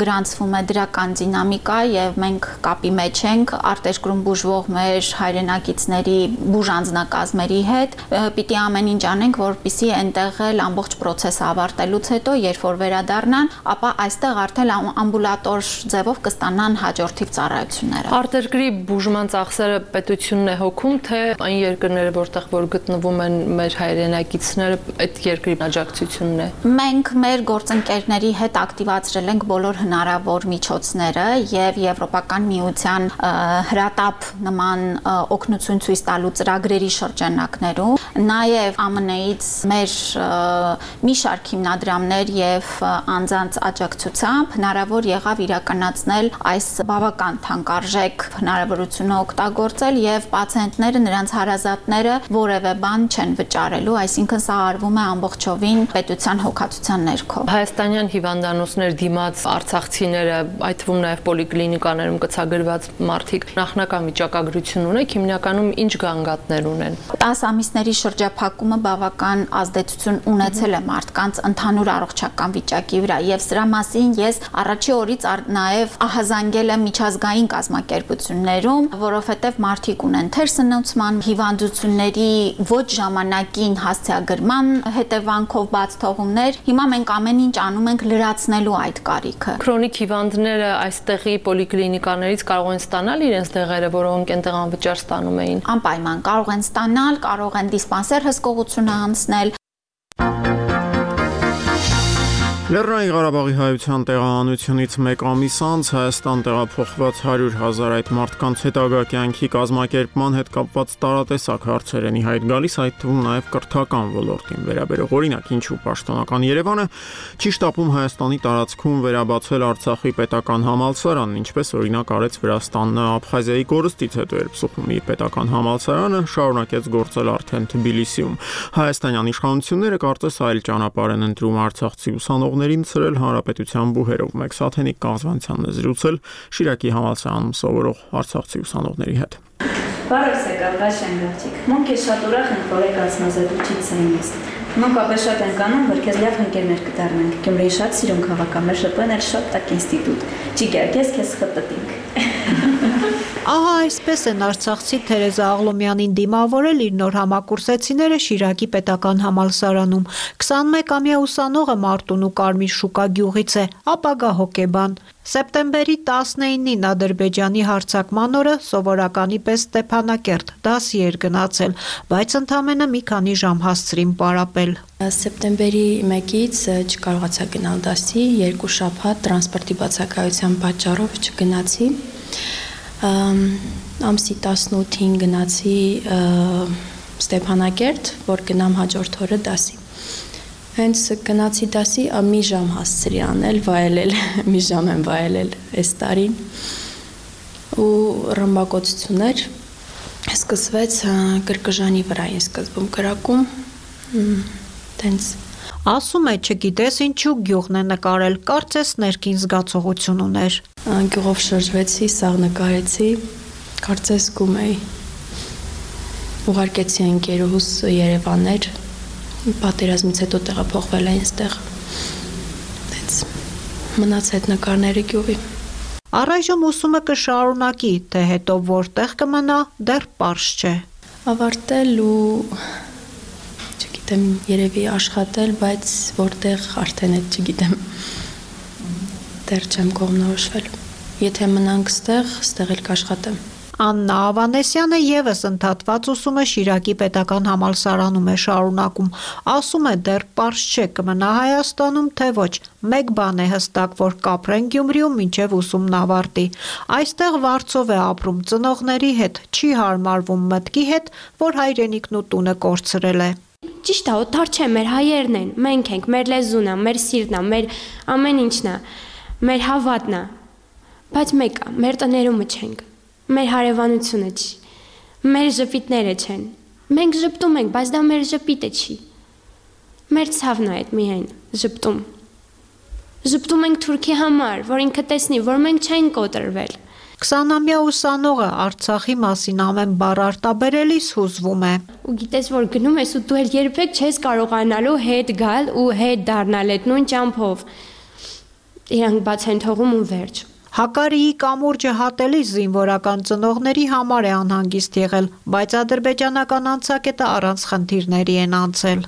գրանցվում է դրական դինամիկա եւ մենք կապի մեջ ենք արտերկրում բուժվող մեր հայրենակիցների բուժ անձնակազմերի հետ, պիտի ամեն ինչ անենք, որպեսզի այնտեղ էլ ամբողջ process-ը ավարտելուց հետո, երբ որ վերադառնան, ապա այստեղ արդեն ամբուլատոր ձևով կստանան հաջորդիվ ծառայությունները։ Արտերկրի բուժման ծախսերը պետությունն է հոգում, թե այն երկրները, որտեղ որ գտնվում են մեր հայրենակիցները, այդ երկրի աջակցությունն է։ Մենք մեր գործընկերների հետ ակտիվացրել ենք բոլոր հնարավոր միջոցները եւ Եվրոպական միության հրատապ նման օգնություն ցույց տալու ծրագրերի շրջանակներում Նաև ԱՄՆ-ից մեր մի շարք հիմնադրամներ եւ անձանց աջակցությամբ հնարավոր եղավ իրականացնել այս բավական թանկարժեք հնարավորությունը օգտագործել եւ պացիենտները, նրանց հարազատները որևէ բան չեն վճարելու, այսինքն սա արվում է ամբողջովին պետության հոգացության ներքո։ Հայաստանյան հիվանդանոցներ դիմաց արցախցիները, այդ թվում նաև պոլիկլինիկաներում գծագրված մարդիկ նախնական վիճակագրություն ունեք, հիմնականում ինչ գանգատներ ունեն։ 10 ամիսների շրջափակումը բավական ազդեցություն ունեցել է մարդկանց ընդհանուր առողջական վիճակի վրա եւ սրա մասին ես առաջի օրից նաև ահազանգել եմ միջազգային կազմակերպություններում, որովհետեւ մարդիկ ունեն թերսնուցման հիվանդությունների ոչ ժամանակին հասցեագրման հետևանքով բաց թողումներ։ Հիմա մենք ամեն ինչ անում ենք լրացնելու այդ կարիքը։ Քրոնիկ հիվանդները այստեղի պոլիկլինիկաներից կարող են ստանալ իրենց դեղերը, որոնք այնտեղ անվճար ստանում էին։ Անպայման կարող են ստանալ, կարող են դիսպանսեր հսկողությունը անցնել։ Լեռնային Ղարաբաղի հայության տեղահանությունից մեկ ամիս անց Հայաստան տեղափոխված 100,000 այդ մարդկանց հետագա կյանքի կազմակերպման հետ կապված տարատեսակ հարցեր են ի հայտ գալիս, այդ թվում նաև կրթական ոլորտին վերաբերող։ Օրինակ, ինչու պաշտոնական Երևանը չի շտապում Հայաստանի տարածքում վերաբացել Արցախի պետական համալսարանն, ինչպես օրինակ արեց Վրաստանը Աբխազիայի կորստից հետո, երբ Սուխումի պետական համալսարանը շարունակեց գործել արդեն Թբիլիսիում։ Հայաստանյան իշխանությունները կարծես այլ ճանապարհ են ընտրում արցախցի ուսանողներին ցրել հանրապետության բուհերով։ Մեկ Սաթենիկ կազմվածանն է զրուցել Շիրակի համալսարանում սովորող արցախցի ուսանողների հետ։ Բարև սեկալ, Վաշեն գավчик։ Մենք ես շատ ուրախ ենք, որ եք ասնազետուչից ենք։ Մենք ապա շատ ենք անում, որ քեզ լավ ընկերներ կդառնանք։ Գյումրիի շատ սիրուն քաղաք է, մեր շփոթն էլ շատ տակ ինստիտուտ։ Ճիգար, քեզ խտտինք։ Ահա այսպես են արցախցի Թերեզա Աղլոմյանին դիմավորել իր նոր համակուրսեցիները Շիրակի պետական համալսարանում։ 21-ամյա ուսանողը Մարտունու Կարմիր շուկա գյուղից է, ապագա հոկեբան։ Սեպտեմբերի 19-ին Ադրբեջանի հարձակման օրը սովորականի պես Ստեփանակերտ դասի էր գնացել, բայց ընդամենը մի քանի ժամ հասցրին պարապել։ Սեպտեմբերի 1-ից չկարողացա գնալ դասի, 2 շաբաթ տրանսպորտի բացակայության պատճառով չգնացի։ Ամսի 18-ին գնացի Ստեփանակերտ, որ գնամ հաջորդ օրը դասի։ Հենց գնացի դասի մի ժամ հասցրի անել, վայելել, մի ժամ եմ վայելել այս տարին ու ռմբակոծություններ սկսվեց կրկժանի վրա են սկսվում կրակում, տենց Ասում է չգիտես ինչու գյուղն է նկարել, կարծես ներքին զգացողություն ուներ։ Գյուղով շրջվեցի, սաղ նկարեցի, կարծես գում էի։ Ուղարկեցի ընկերուհուս Երևաններ, պատերազմից հետո տեղափոխվել էին այստեղ։ Դենց մնաց այդ նկարները գյուղի։ Առայժմ ուսումը կշարունակի, թե հետո որտեղ կմնա, դեռ պարզ չէ։ Ավարտել ու չգիտեմ, երևի աշխատել, բայց որտեղ արդեն այդ չգիտեմ։ Դեռ չեմ կողմնորոշվել։ Եթե մնանք ստեղ էլ կաշխատեմ։ Աննա Ավանեսյանը եւս ընդհատված ուսումը Շիրակի պետական համալսարանում է շարունակում։ Ասում է դեռ պարզ չէ կմնա Հայաստանում, թե ոչ։ Մեկ բան է հստակ, որ կապրեն Գյումրիում մինչև ուսումն ավարտի։ Այստեղ վարձով է ապրում ծնողների հետ, չի հարմարվում մտքի հետ, որ հայրենիքն ու տունը կորցրել է։ Ճիշտ է, օտար չէ, մեր հայերն են, մենք ենք, մեր լեզուն է, մեր սիրտն է, մեր ամեն ինչն է, մեր հավատն է։ Բայց մեկ է, մեր տներումը չենք։ Մեր հարևանությունը չի, մեր ժպիտները չեն, մենք ժպտում ենք, բայց դա մեր ժպիտը չի, մեր ցավն է այդ միայն ժպտում ենք Թուրքի համար, որ ինքը տեսնի, որ մենք չենք կոտրվել։ 20-ամյա ուսանողը Արցախի մասին ամեն բառ արտաբերելիս հուզվում է։ Ու գիտես, որ գնում ես ու դու էլ երբեք չես կարողանալու հետ գալ ու հետ դառնալ այդ նույն ճամփով, իրանք բաց են թողում ու վերջ։ Հակարիի կամուրջը հատելիս զինվորական ծնողների համար է անհանգիստ եղել, բայց ադրբեջանական անցակետը առանց խնդիրների են անցել։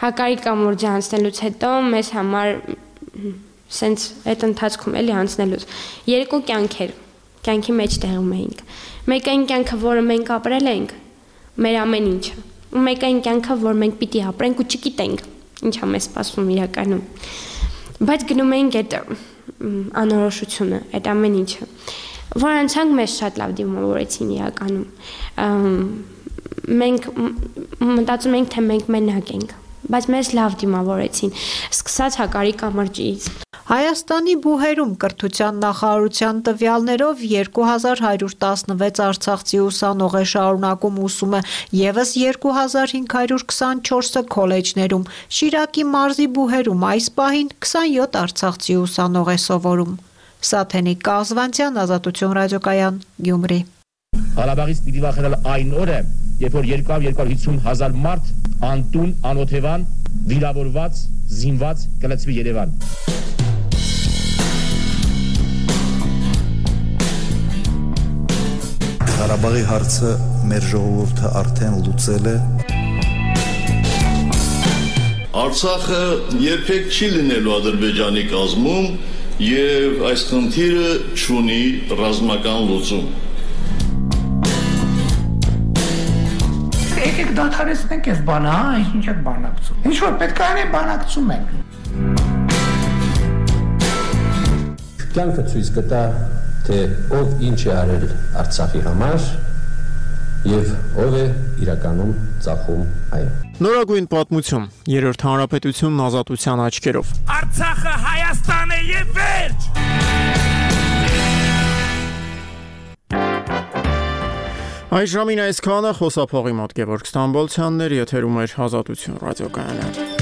Հակարի կամուրջը անցնելուց հետո մեզ համար սենց այդ ընթացքում էլի անցնելուց երկու կյանքեր, կյանքի մեջ տեղում էինք։ Մեկ այն կյանքը, որը մենք ապրել ենք, մեր ամեն ինչը, ու մեկ այն կյանքը, որ մենք պիտի ապրենք ու չգիտենք, ինչա մեզ սպասվում իրականում։ Բայց գնում էինք այդ անորոշությունը, այդ ամեն ինչը, որ անցանք մեզ շատ լավ դիմավորեցին իրականում։ մենք մտածում ենք, թե մենք մենակ ենք, բայց մեզ լավ դիմավորեցին, սկսած Հակարի կամրջից։ Հայաստանի բուհերում կրթության նախարարության տվյալներով 2116 արցախցի ուսանող է շարունակում ուսումը, եւս 2524-ը քոլեջներում։ Շիրակի մարզի բուհերում այս պահին 27 արցախցի ուսանող է սովորում։ Սաթենիկ Կազվանցյան, Ազատություն ռադիոկայան, Գյումրի։ Ղարաբաղից պիտի վախենալ այն օրը, երբ որ 250 հազար մարդ անտուն, անօթևան, վիրավորված, զինված կլցվի Երևան։ Ղարաբաղի հարցը մեր ժողովուրդը արդեն լուծել է։ Արցախը երբեք չի լինելու Ադրբեջանի կազմում եւ այս խնդիրը չունի ռազմական լուծում։ Եկեք դադարեցնենք այս բանը, ինչ եք բանակցում։ Ինչ որ պետք է անենք, բանակցում ենք։ Կյանքը ցույց կտա, թե ով ինչ է արել Արցախի համար եւ ով է իրականում ծախում այն։ Նորագույն պատմություն, Երրորդ հանրապետությունն ազատության աչքերով։ Արցախը Հայաստան է եւ վերջ։ Այս ժամին այսքանը, խոսափողի մոտ Գևորգ Ստամբոլցյանն էր, եթերում էր Ազատություն ռադիոկայանը։